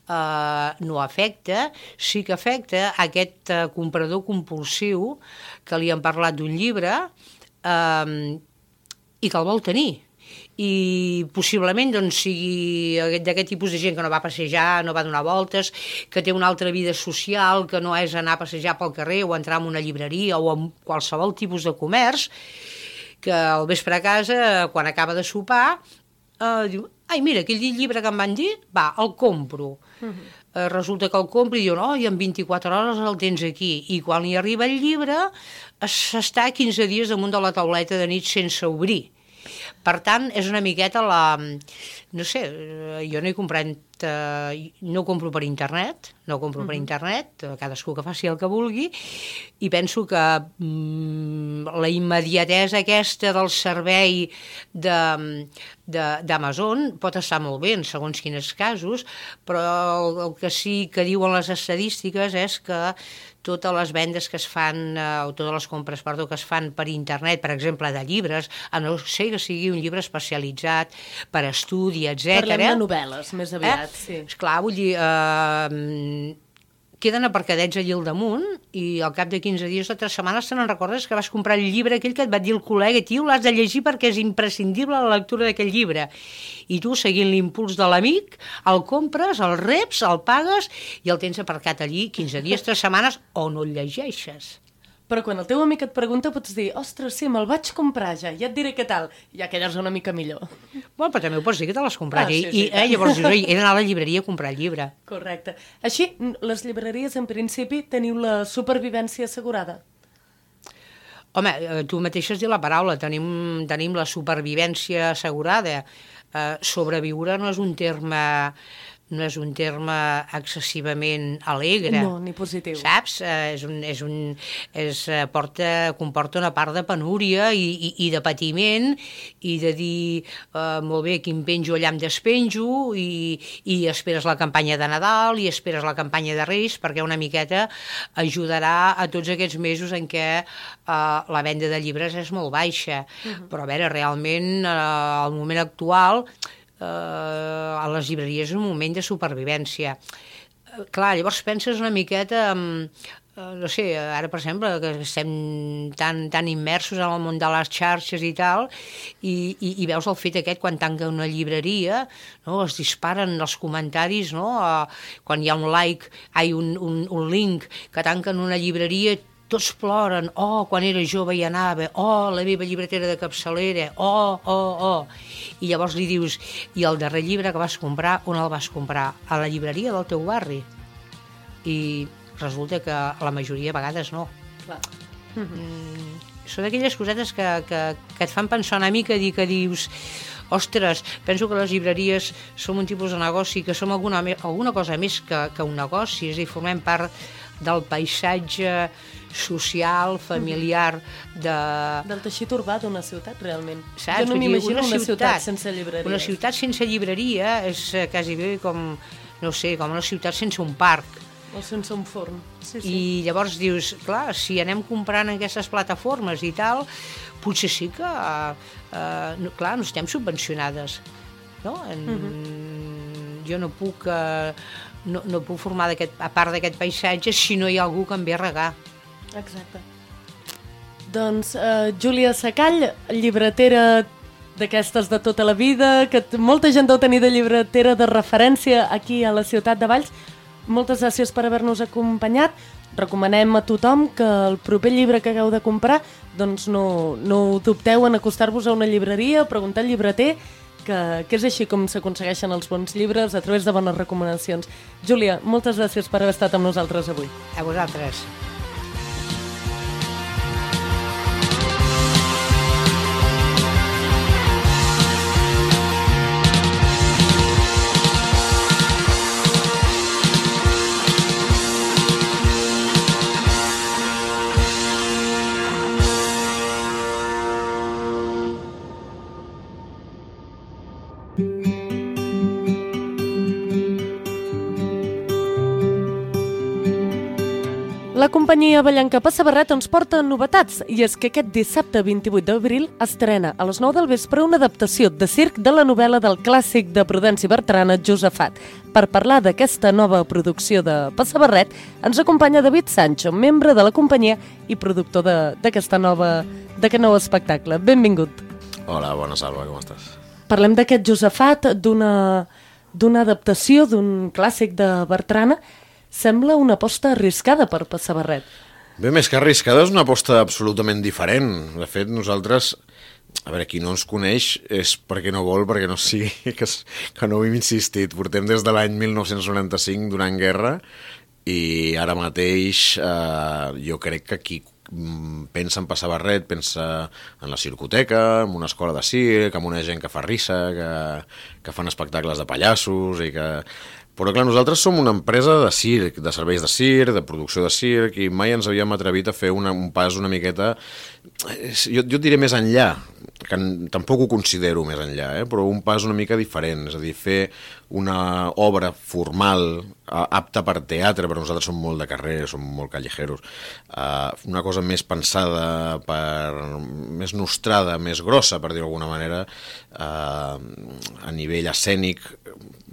Speaker 4: eh, no afecta, sí que afecta aquest eh, comprador compulsiu que li han parlat d'un llibre eh, i que el vol tenir. I possiblement doncs, sigui d'aquest tipus de gent que no va passejar, no va donar voltes, que té una altra vida social, que no és anar a passejar pel carrer o entrar en una llibreria o en qualsevol tipus de comerç, que al vespre a casa, quan acaba de sopar, eh, diu, ai, mira, aquell llibre que em van dir, va, el compro. Uh-huh. Eh, resulta que el compro i diu, no, i en vint-i-quatre hores el tens aquí. I quan hi arriba el llibre, s'està quinze dies damunt de la tauleta de nit sense obrir. Per tant, és una miqueta la... No sé, jo no he comprat... Eh, no compro per internet, no compro uh-huh. per internet, cadascú que faci el que vulgui, i penso que mm, la immediatesa aquesta del servei d'Amazon pot estar molt bé en segons quins casos, però el, el que sí que diuen les estadístiques és que totes les vendes que es fan, eh, o totes les compres, perdó, que es fan per internet, per exemple, de llibres, a no ser que sigui un llibre especialitzat per estudi, etcètera.
Speaker 2: Parlem de novel·les, més aviat, eh? sí.
Speaker 4: Esclar, vull dir, eh, queden aparcadets allà al damunt i al cap de quinze dies o tres setmanes te n'en recordes que vas comprar el llibre aquell que et va dir el col·lega, tio, l'has de llegir perquè és imprescindible la lectura d'aquell llibre. I tu, seguint l'impuls de l'amic, el compres, el reps, el pagues i el tens aparcat allí quinze dies, tres setmanes, o no el llegeixes.
Speaker 2: Però quan el teu amic et pregunta pots dir, ostres, sí, me'l vaig comprar ja, ja et diré què tal, ja quedes una mica millor.
Speaker 4: Bueno, però també ho pots dir que te l'has comprat. Ah,
Speaker 2: sí, sí,
Speaker 4: I eh, llavors dius, he d'anar a la llibreria a comprar el llibre.
Speaker 2: Correcte. Així, les llibreries, en principi, teniu la supervivència assegurada?
Speaker 4: Home, tu mateix has dit la paraula, tenim, tenim la supervivència assegurada. Uh, sobreviure no és un terme... no és un terme excessivament alegre.
Speaker 2: No, ni positiu.
Speaker 4: Saps? Eh, és un, és un, és, porta, comporta una part de penúria i, i, i de patiment i de dir, eh, molt bé, aquí em penjo, allà em despenjo i, i esperes la campanya de Nadal i esperes la campanya de Reis perquè una miqueta ajudarà a tots aquests mesos en què eh, la venda de llibres és molt baixa. Uh-huh. Però a veure, realment, eh, al moment actual... Uh, a les llibreries és un moment de supervivència. Uh, clar, llavors penses una miqueta en, uh, no sé, ara per exemple que estem tan, tan immersos en el món de les xarxes i tal i, i, i veus el fet aquest quan tanca una llibreria, no? Es disparen els comentaris, no? Uh, quan hi ha un like, ai, un, un, un link que tanquen una llibreria, tots ploren, oh, quan era jove hi anava, oh, la meva llibretera de capçalera, oh, oh, oh. I llavors li dius, i el darrer llibre que vas comprar, on el vas comprar? A la llibreria del teu barri. I resulta que la majoria de vegades no.
Speaker 2: Clar.
Speaker 4: Mm, són aquelles cosetes que, que, que et fan pensar una mica, dir que dius... Ostres, penso que les llibreries som un tipus de negoci, que som alguna, alguna cosa més que, que un negoci, és a dir, formem part del paisatge social, familiar de...
Speaker 2: Del teixit urbà d'una ciutat, realment.
Speaker 4: Saps?
Speaker 2: Jo no m'imagino una, una ciutat, ciutat sense llibreria.
Speaker 4: Una ciutat sense llibreria és quasi bé com, no sé, com una ciutat sense un parc.
Speaker 2: O sense un forn. Sí, sí.
Speaker 4: I llavors dius, clar, si anem comprant en aquestes plataformes i tal, potser sí que, eh, no, clar, no estem subvencionades, no? En, uh-huh. Jo no puc, eh, no, no puc formar a part d'aquest paisatge si no hi ha algú que em ve a regar.
Speaker 2: Exacte. Doncs, eh, Júlia Sacall, llibretera d'aquestes de tota la vida, que molta gent deu tenir de llibretera de referència aquí a la ciutat de Valls. Moltes gràcies per haver-nos acompanyat. Recomanem a tothom que el proper llibre que hagueu de comprar doncs no, no dubteu en acostar-vos a una llibreria, preguntar al llibreter, que, que és així com s'aconsegueixen els bons llibres, a través de bones recomanacions. Júlia, moltes gràcies per haver estat amb nosaltres avui.
Speaker 4: A vosaltres.
Speaker 2: La companyia Vallanca Passabarret ens porta novetats, i és que aquest dissabte vint-i-vuit d'abril estrena a les nou del vespre una adaptació de circ de la novel·la del clàssic de Prudenci Bertrana, Josafat. Per parlar d'aquesta nova producció de Passabarret, ens acompanya David Sancho, membre de la companyia i productor d'aquesta nova, d'aquest nou espectacle. Benvingut.
Speaker 5: Hola, bona Salva, com estàs?
Speaker 2: Parlem d'aquest Josafat, d'una d'una adaptació d'un clàssic de Bertrana. Sembla una aposta arriscada per Passabarret.
Speaker 5: Bé, més que arriscada, és una aposta absolutament diferent. De fet, nosaltres, a veure, qui no ens coneix és perquè no vol, perquè no sigui, que, que no ho hem insistit. Portem des de l'any mil nou-cents noranta-cinc donant guerra i ara mateix eh, jo crec que qui pensa en Passabarret, pensa en la circoteca, en una escola de circ, amb una gent que fa risa, que, que fan espectacles de pallassos i que... Però clar, nosaltres som una empresa de circ, de serveis de circ, de producció de circ, i mai ens havíem atrevit a fer una, un pas una miqueta... Jo, jo et diré més enllà, que tampoc ho considero més enllà, eh? Però un pas una mica diferent, és a dir, fer una obra formal, apta per teatre, però nosaltres som molt de carrer, som molt callejeros, uh, una cosa més pensada, per, més nostrada, més grossa, per dir-ho d'alguna manera, uh, a nivell escènic.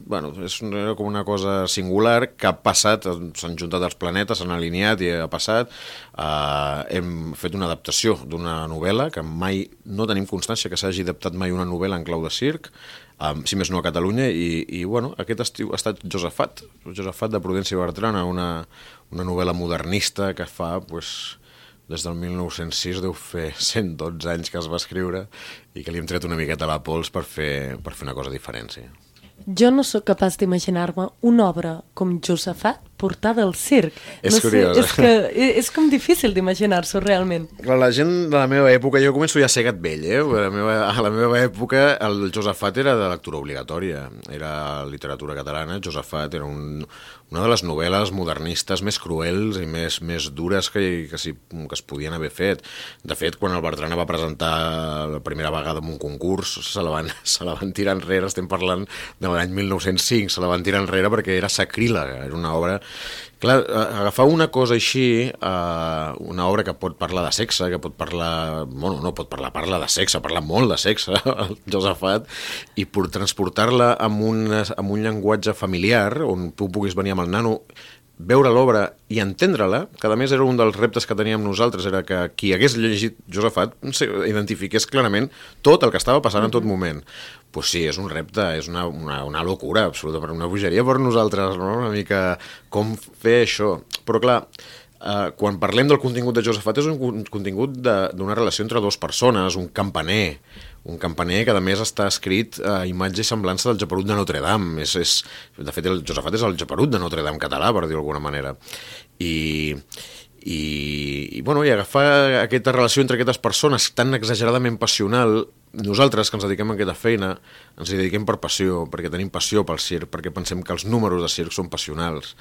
Speaker 5: Bueno, és com una cosa singular que ha passat, s'han juntat els planetes, s'han alineat i ha passat. Uh, hem fet una adaptació d'una novel·la que mai no tenim constància que s'hagi adaptat mai una novel·la en clau de circ, um, si més no a Catalunya, i, i bueno, aquest estiu ha estat Josafat, Josafat de Prudenci Bertrana, una, una novel·la modernista que fa, pues, des del mil nou-cents sis deu fer cent dotze anys que es va escriure i que li hem tret una miqueta a la pols per fer, per fer una cosa diferent, sí.
Speaker 2: Jo no sóc capaç d'imaginar-me una obra com Josafat portada al circ.
Speaker 5: És
Speaker 2: no
Speaker 5: curiós.
Speaker 2: Sé, és, que, és com difícil d'imaginar-s'ho realment.
Speaker 5: Clar, la gent de la meva època, jo començo ja a ser gat vell, eh? A la meva, a la meva època el Josafat era de lectura obligatòria, era literatura catalana. Josafat era un, una de les novel·les modernistes més cruels i més, més dures que, que, si, que es podien haver fet. De fet, quan el Bertrana va presentar la primera vegada en un concurs, se la van, se la van tirar enrere, estem parlant de l'any mil nou-cents cinc, se la van tirar enrere perquè era sacrílega, era una obra... Clar, agafar una cosa així, uh, una obra que pot parlar de sexe, que pot parlar... Bueno, no pot parlar, parla de sexe, parla molt de sexe, el Josafat, i per transportar-la amb un, amb un llenguatge familiar, on tu puguis venir amb el nano, veure l'obra i entendre-la, que a més era un dels reptes que teníem nosaltres, era que qui hagués llegit Josafat identifiqués clarament tot el que estava passant en tot moment. Pues sí, és un repte, és una, una, una locura absoluta, una bogeria per nosaltres, no? Una mica com fer això. Però clar, eh, quan parlem del contingut de Josafat és un contingut d'una relació entre dues persones, un campaner, un campaner que a més està escrit a imatge i semblança del Geperut de Notre Dame. És, és, de fet, el Josafat és el Geperut de Notre Dame català, per dir-ho d'alguna manera. I... I, i, bueno, i agafar aquesta relació entre aquestes persones tan exageradament passional, nosaltres que ens dediquem a aquesta feina ens hi dediquem per passió, perquè tenim passió pel circ, perquè pensem que els números de circ són passionals.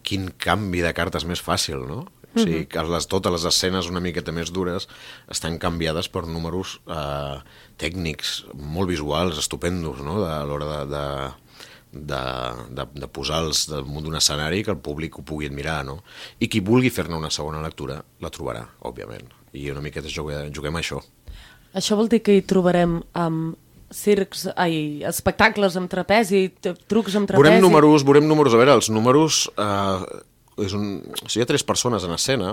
Speaker 5: Quin canvi de cartes més fàcil, no? O sigui, que les, totes les escenes una miqueta més dures estan canviades per números eh, tècnics, molt visuals, estupendos, no? De, a l'hora de... de De, de, de posar-los damunt d'un escenari que el públic ho pugui admirar, no? I qui vulgui fer-ne una segona lectura la trobarà, òbviament, i una miqueta juguem, juguem a això.
Speaker 2: Això vol dir que hi trobarem amb circs, ai, espectacles amb trapezi, trucs amb trapezi...
Speaker 5: Veurem números, veurem números, a veure, els números... Eh, és un, o sigui, hi ha tres persones en escena,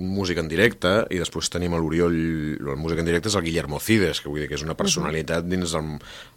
Speaker 5: un músic en directe, i després tenim l'Oriol, el músic en directe és el Guillermo Cides, que vull dir que és una personalitat dins el,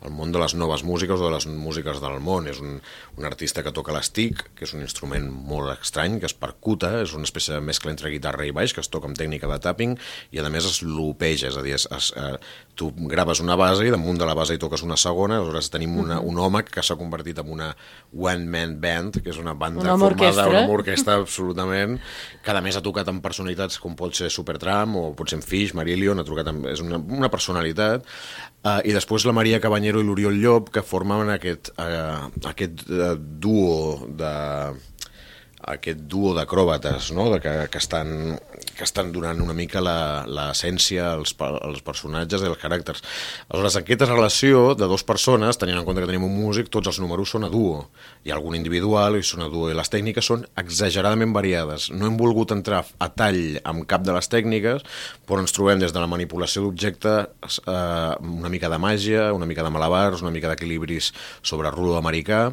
Speaker 5: el món de les noves músiques o de les músiques del món. És un, un artista que toca l'estic, que és un instrument molt estrany, que es percuta, és una espècie de mescla entre guitarra i baix, que es toca amb tècnica de tapping, i a més es lopeja, és a dir, es, es, eh, tu graves una base i damunt de la base hi toques una segona, aleshores tenim una, un home que s'ha convertit en una one-man band, que és una banda
Speaker 2: una
Speaker 5: formada, una orquestra absolutament, que a més ha tocat amb personalitats com pot ser Supertramp o pot ser en Fish, Marillion, ha trucat amb, és una, una personalitat, uh, i després la Maria Cabanyero i l'Oriol Llop, que formen aquest, uh, aquest uh, duo de... aquest duo d'acròbates, no? de que, que, estan, que estan donant una mica l'essència als, als personatges i als caràcters. Aleshores, aquesta relació de dues persones, tenint en compte que tenim un músic, tots els números són a duo. Hi ha algun individual i són a duo, i les tècniques són exageradament variades. No hem volgut entrar a tall amb cap de les tècniques, però ens trobem des de la manipulació d'objectes, eh, una mica de màgia, una mica de malabars, una mica d'equilibris sobre rulo americà.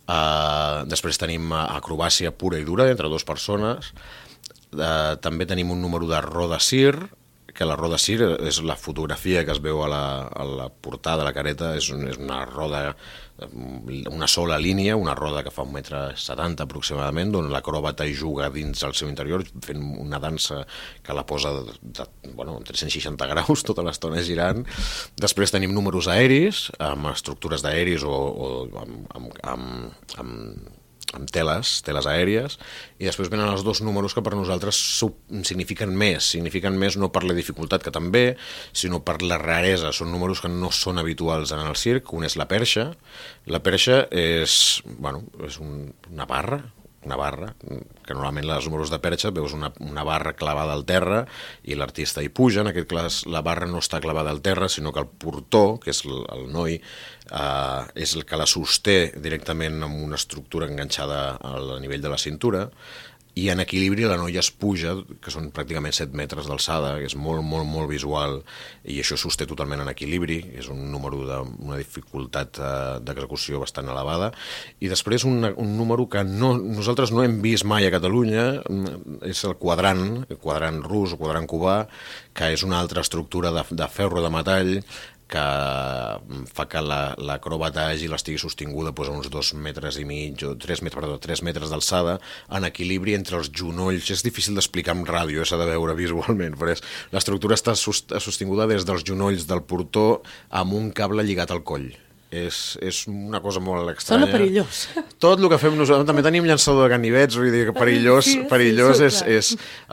Speaker 5: Uh, després tenim acrobàcia pura i dura entre dues persones. Uh, també tenim un número de roda cir, que la roda cir és la fotografia que es veu a la, a la portada de la careta, és, un, és una roda, una sola línia, una roda que fa un metre setanta aproximadament, on l'acròbata hi juga dins el seu interior fent una dansa que la posa de, de, bueno, en tres-cents seixanta graus tota l'estona girant. Després tenim números aeris, amb estructures d'aeris o, o amb, amb, amb, amb amb teles, teles aèries, i després venen els dos números que per nosaltres signifiquen més, signifiquen més no per la dificultat, que també, sinó per la raresa. Són números que no són habituals en el circ. Un és la perxa. La perxa és, bueno, és un, una barra, una barra, que normalment els números de perxa veus una, una barra clavada al terra i l'artista hi puja. En aquest cas la barra no està clavada al terra, sinó que el portó, que és el, el noi, eh, és el que la sosté directament amb una estructura enganxada al nivell de la cintura, i en equilibri la noia es puja, que són pràcticament set metres d'alçada, que és molt, molt, molt visual, i això sosté totalment en equilibri. És un número d'una dificultat eh, d'execució bastant elevada. I després un, un número que no, nosaltres no hem vist mai a Catalunya, és el quadrant, el quadrant rus o quadrant cubà, que és una altra estructura de, de ferro de metall, que fa que l'acròbata hagi l'estigui sostinguda doncs, a uns dos metres i mig o tres metres, perdó, tres metres d'alçada, en equilibri entre els genolls. És difícil d'explicar en ràdio, s'ha de veure visualment, però l'estructura està sostinguda des dels genolls del portó amb un cable lligat al coll. És, és una cosa molt estranya.
Speaker 2: Sona perillós.
Speaker 3: Tot el que fem nosaltres, també tenim llançador de ganivets, vull dir que perillós,
Speaker 2: sí,
Speaker 3: perillós
Speaker 2: sí,
Speaker 3: és, és,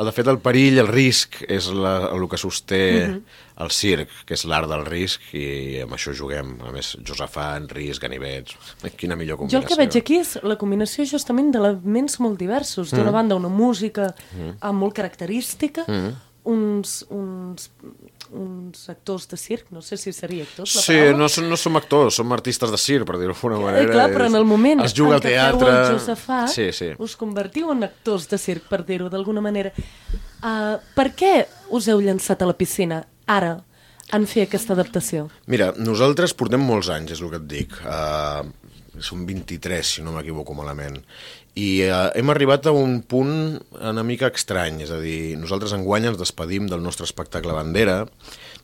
Speaker 3: de fet el perill, el risc, és la, el que sosté uh-huh. el circ, que és l'art del risc, i amb això juguem. A més, Josafat, risc, ganivets, quina millor combinació.
Speaker 2: Jo el que veig aquí és la combinació justament d'elements molt diversos. D'una mm. banda, una música mm. molt característica, mm. uns... uns uns actors de circ, no sé si seria actors la
Speaker 5: sí, no, som, no som actors, som artistes de circ, per dir-ho d'alguna manera.
Speaker 2: Eh, clar, però en el moment
Speaker 5: es juga
Speaker 2: en
Speaker 5: al
Speaker 2: què
Speaker 5: teatre...
Speaker 2: feu el Josafat,
Speaker 5: sí, sí.
Speaker 2: us convertiu en actors de circ, per dir-ho d'alguna manera. Uh, per què us heu llançat a la piscina ara en fer aquesta adaptació?
Speaker 5: Mira, nosaltres portem molts anys, és el que et dic. Uh, som vint-i-tres, si no m'equivoco malament. I eh, hem arribat a un punt una mica estrany, és a dir, nosaltres enguany ens despedim del nostre espectacle Bandera.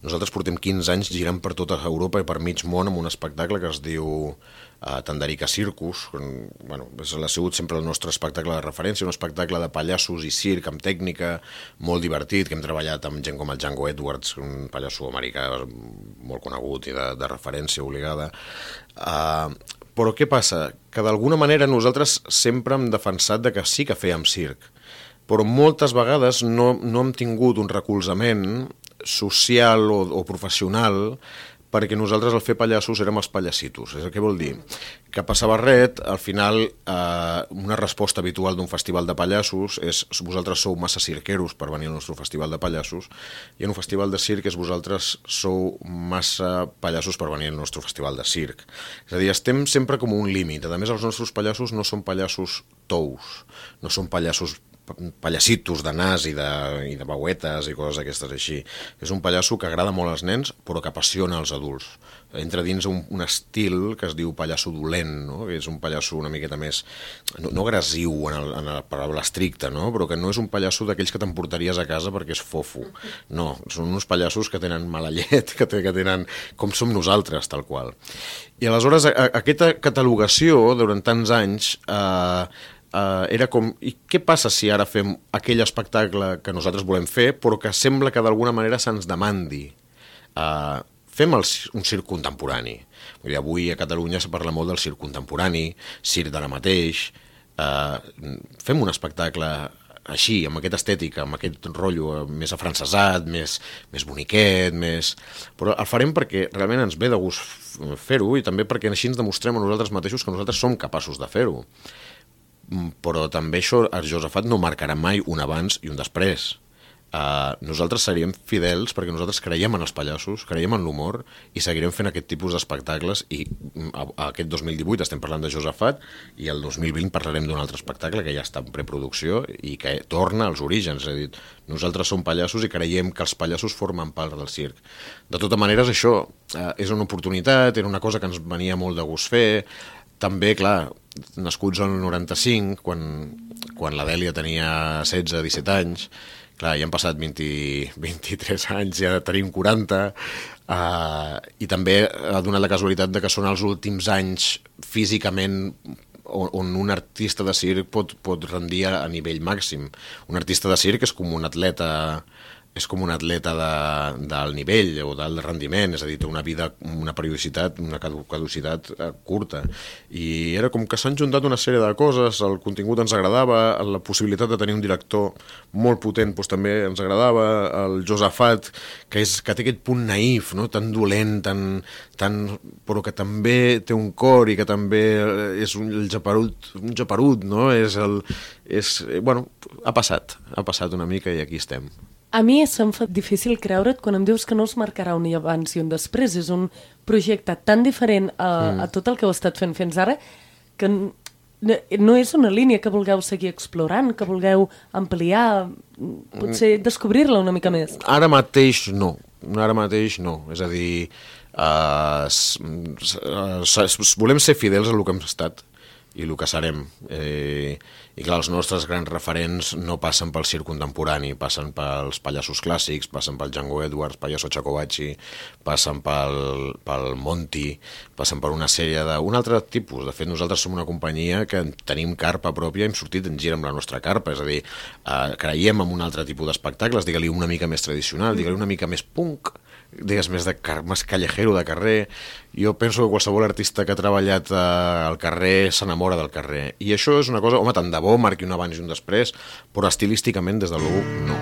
Speaker 5: Nosaltres portem quinze anys girant per tota Europa i per mig món amb un espectacle que es diu eh, Tandarica Circus. Bueno, és, ha sigut sempre el nostre espectacle de referència, un espectacle de pallassos i circ amb tècnica molt divertit, que hem treballat amb gent com el Django Edwards, un pallasso americà molt conegut i de, de referència obligada. Eh, Però què passa? Que d'alguna manera nosaltres sempre hem defensat de que sí que fèiem circ, però moltes vegades no, no hem tingut un recolzament social o, o professional, perquè nosaltres al fer pallassos érem els pallassitos. Què vol dir? Que a Passabarret, al final, eh, una resposta habitual d'un festival de pallassos és vosaltres sou massa cirqueros per venir al nostre festival de pallassos, i en un festival de circ és vosaltres sou massa pallassos per venir al nostre festival de circ. És a dir, estem sempre com un límit. A més, els nostres pallassos no són pallassos tous, no són pallassos pallassitos de nas i de, i de bauetes i coses d'aquestes així. És un pallasso que agrada molt als nens, però que apassiona els adults. Entra dins un, un estil que es diu pallasso dolent, no? Que és un pallasso una miqueta més, no, no agressiu en, el, en la paraula estricta, no? Però que no és un pallasso d'aquells que t'emportaries a casa perquè és fofo. No, són uns pallassos que tenen mala llet, que, que tenen com som nosaltres, tal qual. I aleshores, a, a, aquesta catalogació, durant tants anys, eh, Uh, era com, i què passa si ara fem aquell espectacle que nosaltres volem fer, però que sembla que d'alguna manera se'ns demandi? Uh, fem el, un circ contemporani. Vull dir, avui a Catalunya se parla molt del circ contemporani, circ d'ara mateix. Uh, fem un espectacle així, amb aquesta estètica, amb aquest rotllo més afrancesat, més, més boniquet, més... Però el farem perquè realment ens ve de gust fer-ho, i també perquè així ens demostrem a nosaltres mateixos que nosaltres som capaços de fer-ho. però també això, el Josafat no marcarà mai un abans i un després. Uh, nosaltres seríem fidels perquè nosaltres creiem en els pallassos, creiem en l'humor i seguirem fent aquest tipus d'espectacles i a, a aquest dos mil divuit estem parlant de Josafat i el dos mil vint parlarem d'un altre espectacle que ja està en preproducció i que torna als orígens, és a dir, nosaltres som pallassos i creiem que els pallassos formen part del circ. De tota manera, això uh, és una oportunitat, era una cosa que ens venia molt de gust fer. També, clar, nascuts al noranta-cinc, quan, quan la Dèlia tenia setze disset anys, clar, ja han passat vint, vint-i-tres anys, ja tenim quaranta, uh, i també ha donat la casualitat de que són els últims anys físicament on, on un artista de circ pot, pot rendir a nivell màxim. Un artista de circ és com un atleta és com un atleta de, del nivell o del rendiment, és a dir, té una vida, una periodicitat, una caducitat curta. I era com que s'han juntat una sèrie de coses, el contingut ens agradava, la possibilitat de tenir un director molt potent doncs, també ens agradava, el Josafat, que, és, que té aquest punt naïf, no? Tan dolent, tan, tan, però que també té un cor i que també és un geperut, un geperut, no? És el, és, bueno, ha passat, ha passat una mica i aquí estem.
Speaker 2: A mi se'm fa difícil creure't quan em dius que no es marcarà un abans i un després. És un projecte tan diferent a, mm. a tot el que heu estat fent fins ara que no és una línia que vulgueu seguir explorant, que vulgueu ampliar, potser descobrir-la una mica més.
Speaker 5: Ara mateix no, ara mateix no. És a dir, uh, s, s, s, volem ser fidels a el que hem estat i el que serem. Eh, I clar, els nostres grans referents no passen pel circ contemporani, passen pels pallassos clàssics, passen pel Django Edwards, Payaso Chacobacci, passen pel, pel Monty, passen per una sèrie de... un altre tipus. De fet, nosaltres som una companyia que tenim carpa pròpia, hem sortit en gira amb la nostra carpa, és a dir, eh, creiem en un altre tipus d'espectacles, digue-li una mica més tradicional, digue-li una mica més punk, digues més, de, més callejero de carrer. Jo penso que qualsevol artista que ha treballat eh, al carrer s'enamora del carrer. I això és una cosa, home, tant de bo marqui un abans i un després, però estilísticament, des de l'u, no.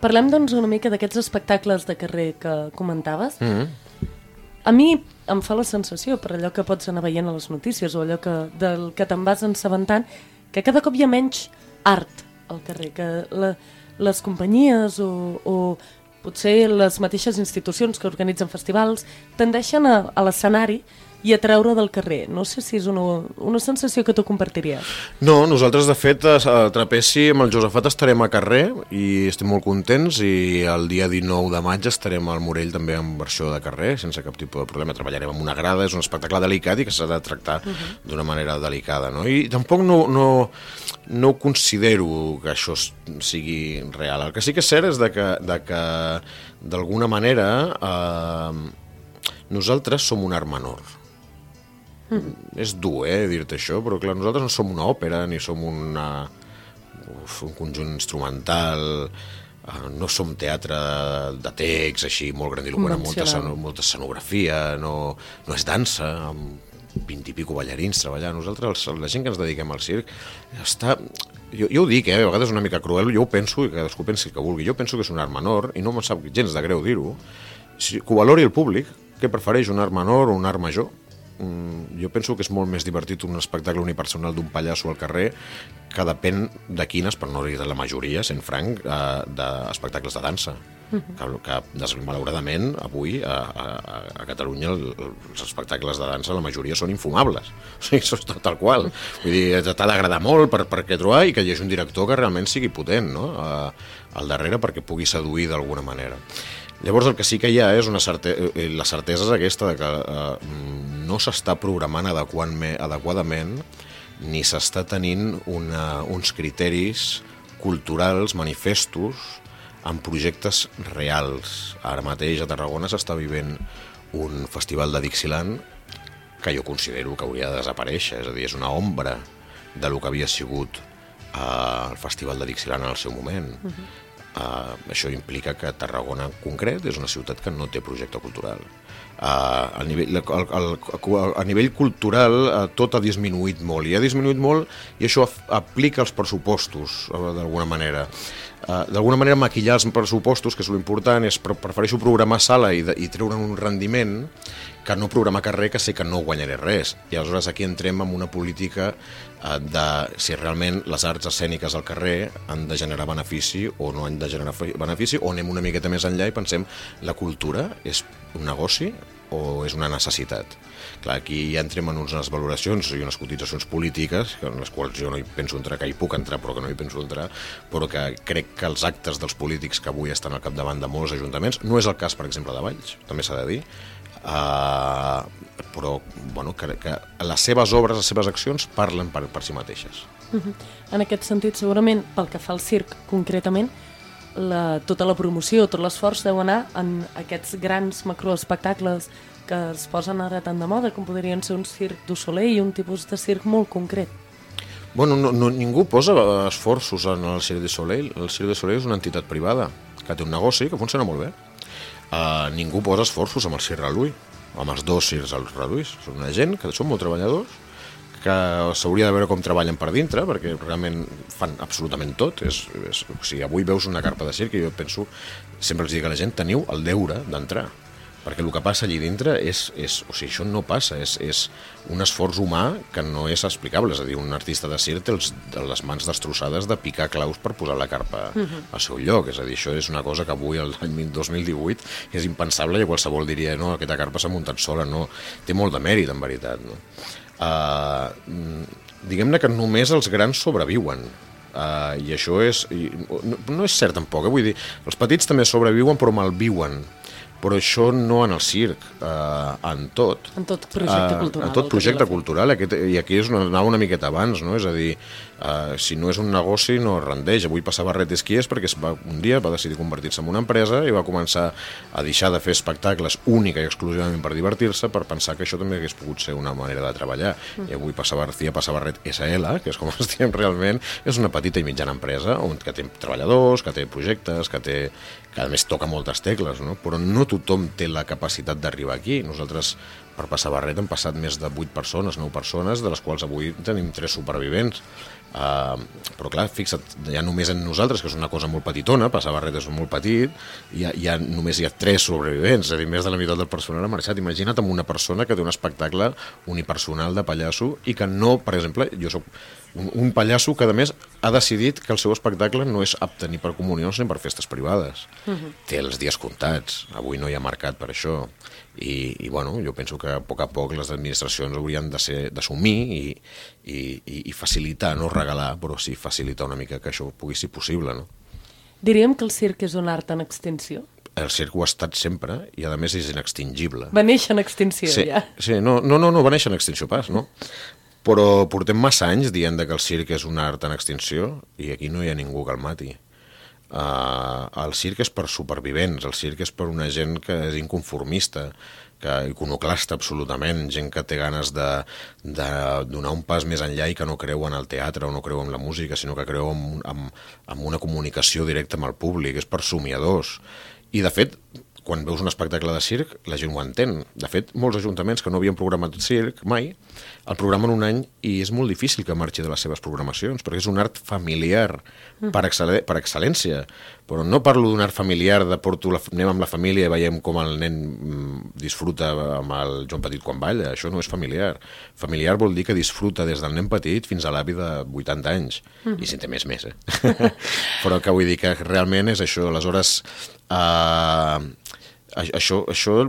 Speaker 2: Parlem, doncs, una mica d'aquests espectacles de carrer que comentaves.
Speaker 5: Mm-hmm.
Speaker 2: A mi em fa la sensació, per allò que pots anar veient a les notícies o allò que, del que te'n vas assabentant, que cada cop hi ha menys art al carrer, que la, les companyies o, o potser les mateixes institucions que organitzen festivals tendeixen a, a l'escenari i a treure del carrer. No sé si és una, una sensació que tu compartiries.
Speaker 5: No, nosaltres, de fet, a Trapezi amb el Josafat estarem a carrer i estem molt contents, i el dia dinou de maig estarem al Morell també en versió de carrer, sense cap tipus de problema. Treballarem amb una grada, és un espectacle delicat i que s'ha de tractar uh-huh. d'una manera delicada, no? I tampoc no, no, no considero que això sigui real. El que sí que és cert és de que, de que d'alguna manera, eh, nosaltres som un art menor. Mm. És dur, eh, dir-te això, però clar, nosaltres no som una òpera, ni som una, uf, un conjunt instrumental, uh, no som teatre de text, així, molt grandiloquent, amb molta, molta escenografia, no, no és dansa, amb vint i pico ballarins treballant. Nosaltres, la gent que ens dediquem al circ, està... Jo, jo ho dic, eh, a vegades és una mica cruel, jo ho penso, i cadascú pensi el que vulgui, jo penso que és un art menor, i no me'n sap gens de greu dir-ho, si, que ho valori el públic, que prefereix un art menor o un art major. jo penso que és molt més divertit un espectacle unipersonal d'un pallasso al carrer que depèn de quines, per no dir de la majoria, sent franc, eh, d'espectacles de dansa. Uh-huh. que, que malauradament avui a, a, a Catalunya el, els espectacles de dansa la majoria són infumables, o sigui, això és tal qual, vull dir, t'ha d'agradar molt per, per què trobar i que hi hagi un director que realment sigui potent, no? A, al darrere perquè pugui seduir d'alguna manera. Llavors el que sí que hi ha és una certe... la certesa és aquesta de que eh, no s'està programant adequadament ni s'està tenint una, uns criteris culturals, manifestos, amb projectes reals. Ara mateix a Tarragona s'està vivint un festival de Dixieland que jo considero que hauria de desaparèixer, és a dir, és una ombra de lo que havia sigut eh, el festival de Dixieland en el seu moment. Uh-huh. Uh, això implica que Tarragona en concret és una ciutat que no té projecte cultural. Uh, a, nivell, a, a, a nivell cultural uh, tot ha disminuït molt, i ha disminuït molt i això aplica els pressupostos uh, d'alguna manera. Uh, d'alguna manera maquillar els pressupostos, que és l'important, és pre prefereixo programar sala i, de, i treure un rendiment que no programar carrer, que sé que no guanyaré res. I aleshores aquí entrem en una política uh, de si realment les arts escèniques al carrer han de generar benefici o no han de generar benefici, o anem una miqueta més enllà i pensem la cultura és un negoci o és una necessitat. Clar, aquí ja entrem en unes valoracions i unes cotitzacions polítiques en les quals jo no hi penso entrar, que hi puc entrar però que no hi penso entrar, però que crec que els actes dels polítics que avui estan al capdavant de molts ajuntaments, no és el cas per exemple de Valls, també s'ha de dir, uh, però bueno, que, que les seves obres, les seves accions parlen per, per si mateixes.
Speaker 2: Uh-huh. En aquest sentit, segurament, pel que fa al circ concretament, La, tota la promoció, tot l'esforç deu anar en aquests grans macroespectacles que es posen ara tan de moda, com podrien ser un circ du Soleil i un tipus de circ molt concret.
Speaker 5: Bueno, no, no, ningú posa esforços en el Cirque du Soleil. El Cirque du Soleil és una entitat privada que té un negoci que funciona molt bé. Uh, ningú posa esforços amb el Cirque Reluí, amb els dos circs Reluís. Són una gent que són molt treballadors, que s'hauria de veure com treballen per dintre, perquè realment fan absolutament tot. És, és, o sigui, avui veus una carpa de circ i jo penso, sempre els dic a la gent, teniu el deure d'entrar, perquè el que passa allí dintre és, és o sigui, això no passa, és, és un esforç humà que no és explicable. És a dir, un artista de circ té els, les mans destrossades de picar claus per posar la carpa uh-huh. al seu lloc. És a dir, això és una cosa que avui, l'any dos mil divuit, és impensable i qualsevol diria, no, aquesta carpa s'ha muntat sola, no. Té molt de mèrit, en veritat, no? Uh, diguem-ne que només els grans sobreviuen uh, i això és i no, no és cert tampoc, eh? Vull dir, els petits també sobreviuen però malviuen, però això no en el circ, uh, en tot
Speaker 2: en tot projecte uh, cultural,
Speaker 5: en tot projecte cultural aquest, i aquí és una, anava una miqueta abans, no? És a dir, uh, si no és un negoci no es rendeix. Avui passava Ret Esquies perquè es va, un dia va decidir convertir-se en una empresa i va començar a deixar de fer espectacles única i exclusivament per divertir-se, per pensar que això també hagués pogut ser una manera de treballar. Mm. I avui Passa García, Passa Ret essa ele, que és com es diem realment, és una petita i mitjana empresa on, que té treballadors, que té projectes, que té que a més toca moltes tecles, no? Però no tothom té la capacitat d'arribar aquí. Nosaltres per Passa Barret hem passat més de vuit persones, nou persones, de les quals avui tenim tres supervivents. Uh, però clar, fixa't, ja només en nosaltres, que és una cosa molt petitona, Passa Barret és molt petit, i ja, ja només hi ha tres sobrevivents, és a dir, més de la meitat del personal ha marxat. Imagina't amb una persona que té un espectacle unipersonal de pallasso i que no, per exemple, jo soc un, un pallasso que a més ha decidit que el seu espectacle no és apte ni per comunions ni per festes privades. Uh-huh. Té els dies comptats, avui no hi ha mercat per això. I, i bueno, jo penso que a poc a poc les administracions haurien de ser d'assumir i, i, i facilitar, no regalar, però sí facilitar una mica que això pugui ser possible, no?
Speaker 2: Diríem que el circ és un art en extinció?
Speaker 5: El circ ho ha estat sempre i a més és inextingible.
Speaker 2: Va néixer en extinció,
Speaker 5: sí,
Speaker 2: ja.
Speaker 5: Sí, no, no, no, no va néixer en extinció pas, no? Però portem massa anys dient que el circ és un art en extinció i aquí no hi ha ningú que el mati. Uh, el circ és per supervivents, el circ és per una gent que és inconformista, que iconoclasta absolutament, gent que té ganes de, de donar un pas més enllà i que no creu en el teatre o no creu en la música, sinó que creu en, en, en una comunicació directa amb el públic, és per somiadors. I de fet, quan veus un espectacle de circ, la gent ho entén. De fet, molts ajuntaments que no havien programat circ mai, el programen un any i és molt difícil que marxi de les seves programacions, perquè és un art familiar per, excel·le per excel·lència. Però no parlo d'un art familiar de porto la, anem amb la família i veiem com el nen disfruta amb el Joan Petit quan balla. Això no és familiar. Familiar vol dir que disfruta des del nen petit fins a l'avi de vuitanta anys. Mm. I si en té més, més, eh? Però que vull dir que realment és això. Aleshores, eh, això... això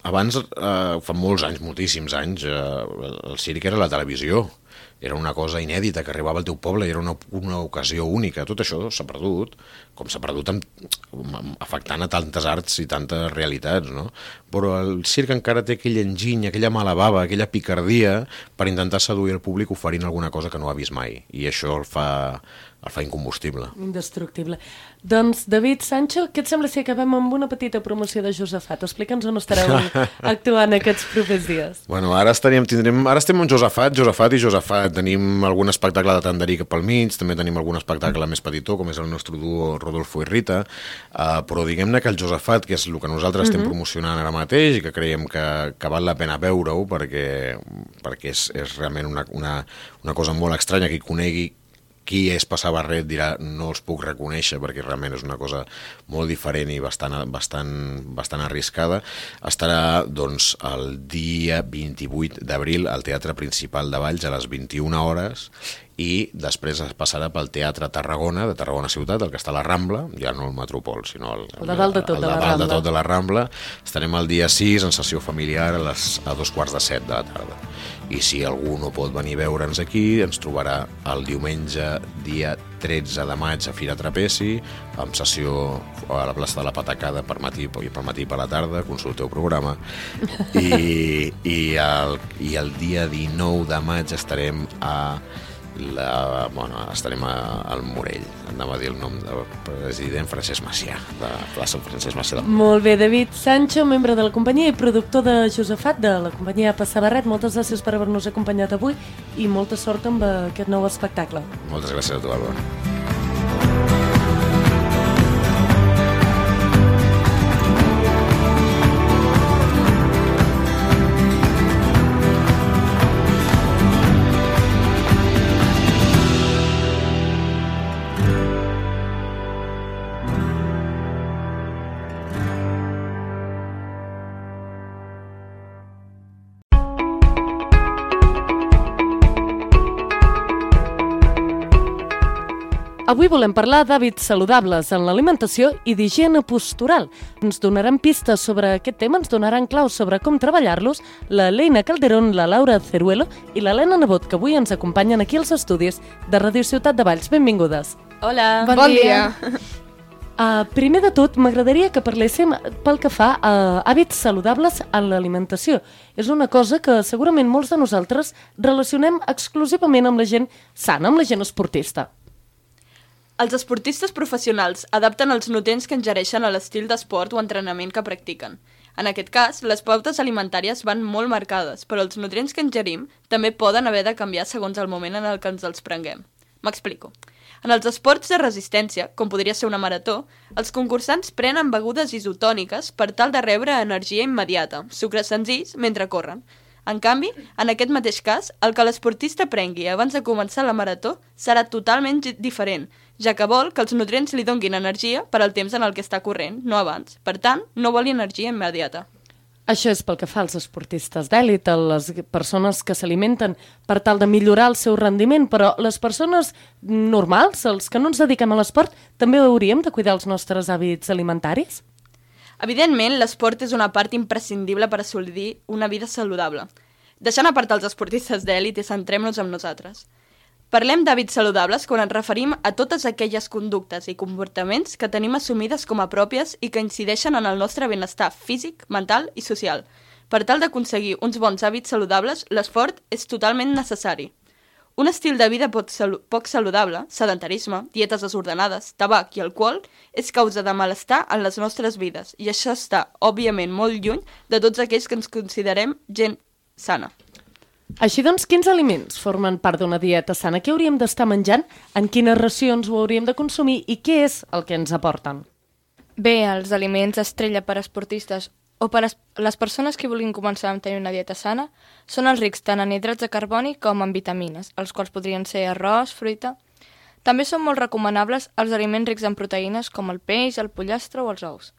Speaker 5: abans, eh, fa molts anys, moltíssims anys, eh, el circ era la televisió. Era una cosa inèdita que arribava al teu poble i era una, una ocasió única. Tot això s'ha perdut, com s'ha perdut amb, afectant a tantes arts i tantes realitats, no? Però el circ encara té aquell enginy, aquella mala bava, aquella picardia per intentar seduir el públic oferint alguna cosa que no ha vist mai. I això el fa, el fa incombustible.
Speaker 2: Indestructible. Doncs, David Sancho, què et sembla si acabem amb una petita promoció de Josafat? Explica'ns on estareu actuant aquests propers dies.
Speaker 5: Bueno, ara, estaríem, tindrem, ara estem amb Josafat, Josafat i Josafat. Tenim algun espectacle de Tanderí cap al mig, també tenim algun espectacle més petitó, com és el nostre duo Rodolfo i Rita, uh, però diguem-ne que el Josafat, que és el que nosaltres uh-huh. estem promocionant ara mateix i que creiem que, que val la pena veure-ho perquè, perquè és, és realment una, una, una cosa molt estranya que hi conegui. Qui és Passar Barret dirà no els puc reconèixer perquè realment és una cosa molt diferent i bastant, bastant, bastant arriscada. Estarà doncs, el dia vint-i-vuit d'abril al Teatre Principal de Valls a les vint-i-una hores i després es passarà pel Teatre Tarragona, de Tarragona Ciutat, el que està a la Rambla, ja no el Metropol, sinó el,
Speaker 2: el de dalt de tot,
Speaker 5: el de,
Speaker 2: de, la
Speaker 5: dalt
Speaker 2: Rambla.
Speaker 5: de tot de la Rambla. Estarem el dia sis en sessió familiar a, les, a dos quarts de set de la tarda. I si algú no pot venir a veure'ns aquí, ens trobarà el diumenge, dia tretze de maig a Fira Trapezi, amb sessió a la plaça de la Patacada per matí, per matí i per la tarda, consulteu programa. I, i, el, I el dia dinou de maig estarem a La, bueno, estarem a, al Morell, anava a dir el nom del president Francesc Macià, de plaça Francesc Macià.
Speaker 2: Molt bé, David Sancho, membre de la companyia i productor de Josafat, de la companyia Passar Barret. Moltes gràcies per haver-nos acompanyat avui i molta sort amb aquest nou espectacle.
Speaker 5: Moltes gràcies a tu, Álvaro.
Speaker 2: Avui volem parlar d'hàbits saludables en l'alimentació i d'higiene postural. Ens donaran pistes sobre aquest tema, ens donaran claus sobre com treballar-los la Leina Calderón, la Laura Ceruelo i l'Helena Nebot, que avui ens acompanyen aquí als estudis de Ràdio Ciutat de Valls. Benvingudes.
Speaker 6: Hola.
Speaker 7: Bon, bon dia. dia.
Speaker 2: Uh, primer de tot, m'agradaria que parléssim pel que fa a hàbits saludables en l'alimentació. És una cosa que segurament molts de nosaltres relacionem exclusivament amb la gent sana, amb la gent esportista.
Speaker 6: Els esportistes professionals adapten els nutrients que ingereixen a l'estil d'esport o entrenament que practiquen. En aquest cas, les pautes alimentàries van molt marcades, però els nutrients que ingerim també poden haver de canviar segons el moment en el que ens els prenguem. M'explico. En els esports de resistència, com podria ser una marató, els concursants prenen begudes isotòniques per tal de rebre energia immediata, sucres senzills, mentre corren. En canvi, en aquest mateix cas, el que l'esportista prengui abans de començar la marató serà totalment diferent, ja que vol que els nutrients li donguin energia per al temps en el que està corrent, no abans. Per tant, no vol energia immediata.
Speaker 2: Això és pel que fa als esportistes d'èlit, a les persones que s'alimenten per tal de millorar el seu rendiment, però les persones normals, els que no ens dediquem a l'esport, també hauríem de cuidar els nostres hàbits alimentaris?
Speaker 6: Evidentment, l'esport és una part imprescindible per assolir una vida saludable. Deixant a part els esportistes d'èlit i centrem-nos en nosaltres. Parlem d'hàbits saludables quan ens referim a totes aquelles conductes i comportaments que tenim assumides com a pròpies i que incideixen en el nostre benestar físic, mental i social. Per tal d'aconseguir uns bons hàbits saludables, l'esport és totalment necessari. Un estil de vida poc saludable, sedentarisme, dietes desordenades, tabac i alcohol, és causa de malestar en les nostres vides i això està, òbviament, molt lluny de tots aquells que ens considerem gent sana.
Speaker 2: Així doncs, quins aliments formen part d'una dieta sana? Què hauríem d'estar menjant? En quines racions ho hauríem de consumir? I què és el que ens aporten?
Speaker 6: Bé, els aliments estrella per a esportistes o per a les persones que vulguin començar a tenir una dieta sana són els rics tant en hidrats de carboni com en vitamines, els quals podrien ser arròs, fruita. També són molt recomanables els aliments rics en proteïnes com el peix, el pollastre o els ous.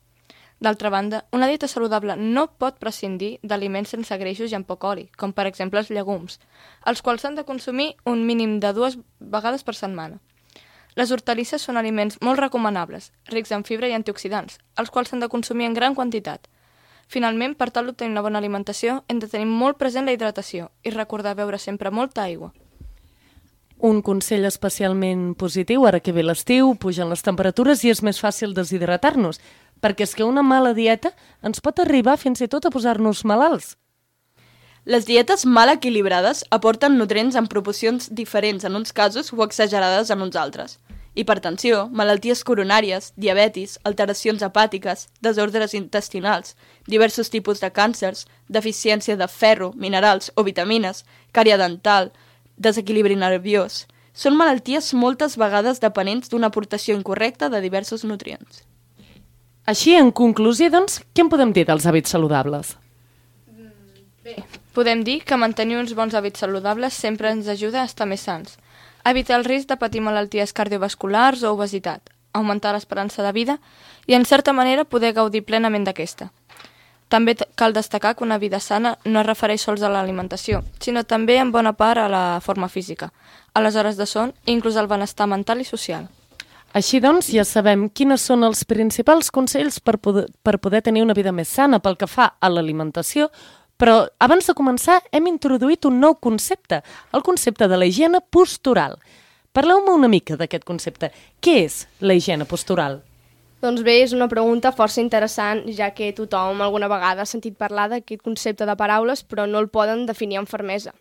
Speaker 6: D'altra banda, una dieta saludable no pot prescindir d'aliments sense greixos i amb poc oli, com per exemple els llegums, els quals s'han de consumir un mínim de dues vegades per setmana. Les hortalisses són aliments molt recomanables, rics en fibra i antioxidants, els quals s'han de consumir en gran quantitat. Finalment, per tal d'obtenir una bona alimentació, hem de tenir molt present la hidratació i recordar beure sempre molta aigua.
Speaker 2: Un consell especialment positiu, ara que ve l'estiu, pugen les temperatures i és més fàcil deshidratar-nos, perquè és que una mala dieta ens pot arribar fins i tot a posar-nos malalts.
Speaker 6: Les dietes mal equilibrades aporten nutrients en proporcions diferents en uns casos o exagerades en uns altres. Hipertensió, malalties coronàries, diabetis, alteracions hepàtiques, desordres intestinals, diversos tipus de càncers, deficiència de ferro, minerals o vitamines, cària dental, desequilibri nerviós. Són malalties moltes vegades dependents d'una aportació incorrecta de diversos nutrients.
Speaker 2: Així, en conclusió, doncs, què en podem dir dels hàbits saludables?
Speaker 6: Bé, podem dir que mantenir uns bons hàbits saludables sempre ens ajuda a estar més sants, evitar el risc de patir malalties cardiovasculars o obesitat, augmentar l'esperança de vida i, en certa manera, poder gaudir plenament d'aquesta. També cal destacar que una vida sana no es refereix sols a l'alimentació, sinó també en bona part a la forma física, a les hores de son i inclús al benestar mental i social.
Speaker 2: Així doncs, ja sabem quines són els principals consells per poder, per poder tenir una vida més sana pel que fa a l'alimentació, però abans de començar hem introduït un nou concepte, el concepte de la higiene postural. Parleu-me una mica d'aquest concepte. Què és la higiene postural?
Speaker 7: Doncs bé, és una pregunta força interessant, ja que tothom alguna vegada ha sentit parlar d'aquest concepte de paraules, però no el poden definir amb fermesa.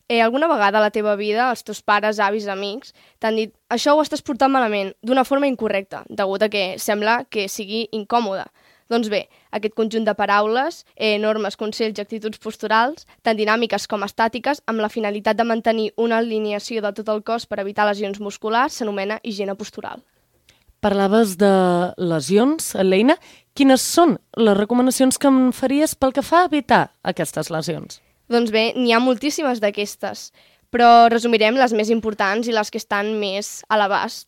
Speaker 7: Eh, alguna vegada a la teva vida, els teus pares, avis, amics, t'han dit això ho estàs portant malament, d'una forma incorrecta, degut a que sembla que sigui incòmode. Doncs bé, aquest conjunt de paraules, eh, normes, consells i actituds posturals, tant dinàmiques com estàtiques, amb la finalitat de mantenir una alineació de tot el cos per evitar lesions musculars, s'anomena higiene postural.
Speaker 2: Parlaves de lesions, Leina. Quines són les recomanacions que em faries pel que fa a evitar aquestes lesions?
Speaker 7: Doncs bé, n'hi ha moltíssimes d'aquestes, però resumirem les més importants i les que estan més a l'abast.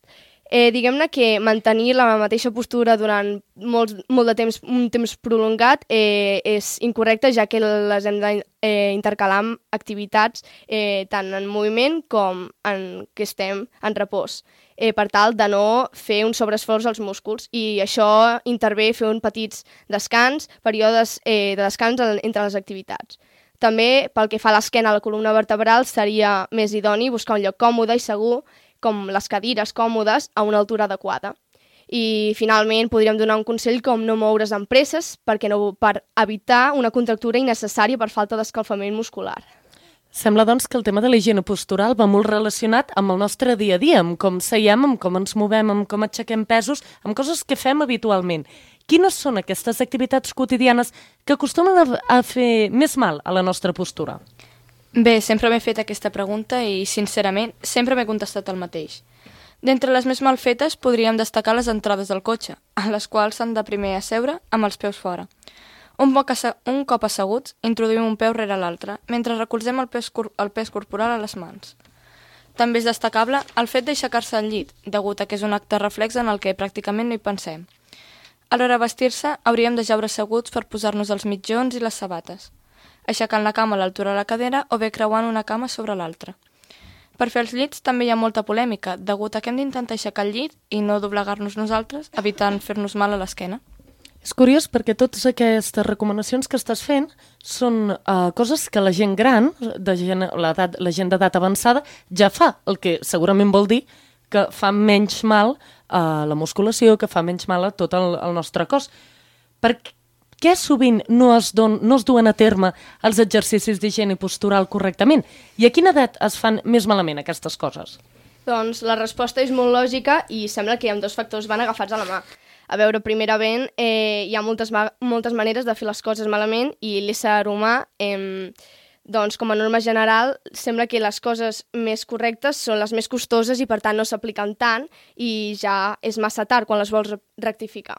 Speaker 7: Eh, diguem-ne que mantenir la mateixa postura durant molt, molt de temps, un temps prolongat eh, és incorrecte, ja que les hem d'intercalar eh, amb activitats eh, tant en moviment com en què estem en repòs, eh, per tal de no fer un sobreesforç als músculs, i això intervé fer un petits descans, períodes eh, de descans entre les activitats. També, pel que fa a l'esquena, a la columna vertebral, seria més idoni buscar un lloc còmode i segur, com les cadires còmodes, a una altura adequada. I, finalment, podríem donar un consell com no moure's amb presses perquè no, per evitar una contractura innecessària per falta d'escalfament muscular.
Speaker 2: Sembla, doncs, que el tema de la higiene postural va molt relacionat amb el nostre dia a dia, amb com seiem, amb com ens movem, amb com aixequem pesos, amb coses que fem habitualment. Quines són aquestes activitats quotidianes que acostumen a fer més mal a la nostra postura?
Speaker 6: Bé, sempre m'he fet aquesta pregunta i, sincerament, sempre m'he contestat el mateix. D'entre les més mal fetes podríem destacar les entrades del cotxe, a les quals s'han de primer asseure amb els peus fora. Un, un cop asseguts, introduïm un peu rere l'altre, mentre recolzem el pes, el pes corporal a les mans. També és destacable el fet d'aixecar-se al llit, degut a que és un acte reflex en el que pràcticament no hi pensem. A l'hora de vestir-se, hauríem de jaure asseguts per posar-nos els mitjons i les sabates, aixecant la cama a l'altura de la cadera o bé creuant una cama sobre l'altra. Per fer els llits també hi ha molta polèmica, degut a que hem d'intentar aixecar el llit i no doblegar-nos nosaltres, evitant fer-nos mal a l'esquena.
Speaker 2: És curiós perquè totes aquestes recomanacions que estàs fent són uh, coses que la gent gran, de gent, l'edat, la gent d'edat avançada, ja fa, el que segurament vol dir que fa menys mal a la musculació, que fa menys mal a tot el, el nostre cos. Per què sovint no es, don, no es duen a terme els exercicis d'higiene postural correctament? I a quina edat es fan més malament aquestes coses?
Speaker 7: Doncs la resposta és molt lògica i sembla que amb dos factors van agafats a la mà. A veure, primerament, eh, hi ha moltes, moltes maneres de fer les coses malament i l'ésser humà, eh, doncs, com a norma general, sembla que les coses més correctes són les més costoses i, per tant, no s'apliquen tant i ja és massa tard quan les vols rectificar.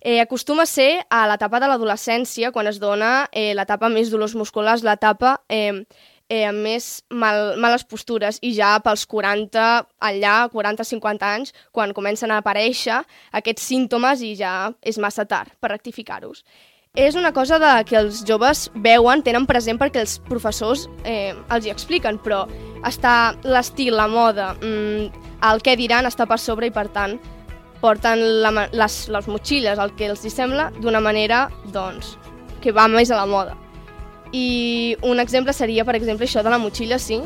Speaker 7: Eh, acostuma a ser a l'etapa de l'adolescència, quan es dona eh, l'etapa més dolors musculars, l'etapa eh, eh, amb més mal, males postures, i ja pels quaranta, allà, quaranta cinquanta anys, quan comencen a aparèixer aquests símptomes i ja és massa tard per rectificar-los. És una cosa de que els joves veuen, tenen present perquè els professors eh, els hi expliquen, però està l'estil, la moda, mmm, el què diran està per sobre i, per tant, porten la, les, les motxilles, el que els hi sembla, d'una manera doncs, que va més a la moda. I un exemple seria, per exemple, això de la motxilla, sí,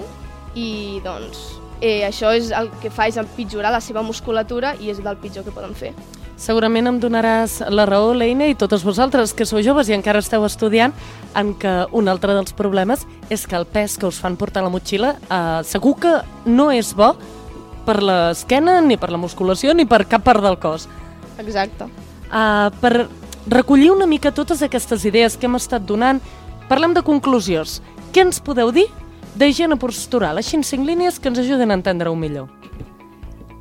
Speaker 7: i doncs eh, això és el que fa és empitjorar la seva musculatura i és del pitjor que poden fer.
Speaker 2: Segurament em donaràs la raó, l'Eina, i totes vosaltres que sou joves i encara esteu estudiant, en què un altre dels problemes és que el pes que us fan portar la motxilla eh, segur que no és bo per l'esquena, ni per la musculació, ni per cap part del cos.
Speaker 7: Exacte.
Speaker 2: Uh, per recollir una mica totes aquestes idees que hem estat donant, parlem de conclusions. Què ens podeu dir d'higiene postural? Així en cinc línies que ens ajuden a entendre-ho millor.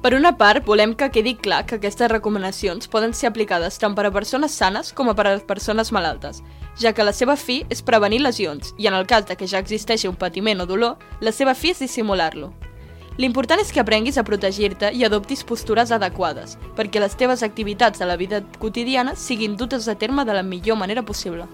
Speaker 6: Per una part, volem que quedi clar que aquestes recomanacions poden ser aplicades tant per a persones sanes com a per a persones malaltes, ja que la seva fi és prevenir lesions i, en el cas de que ja existeixi un patiment o dolor, la seva fi és dissimular-lo. L'important és que aprenguis a protegir-te i adoptis postures adequades, perquè les teves activitats de la vida quotidiana siguin dutes a terme de la millor manera possible.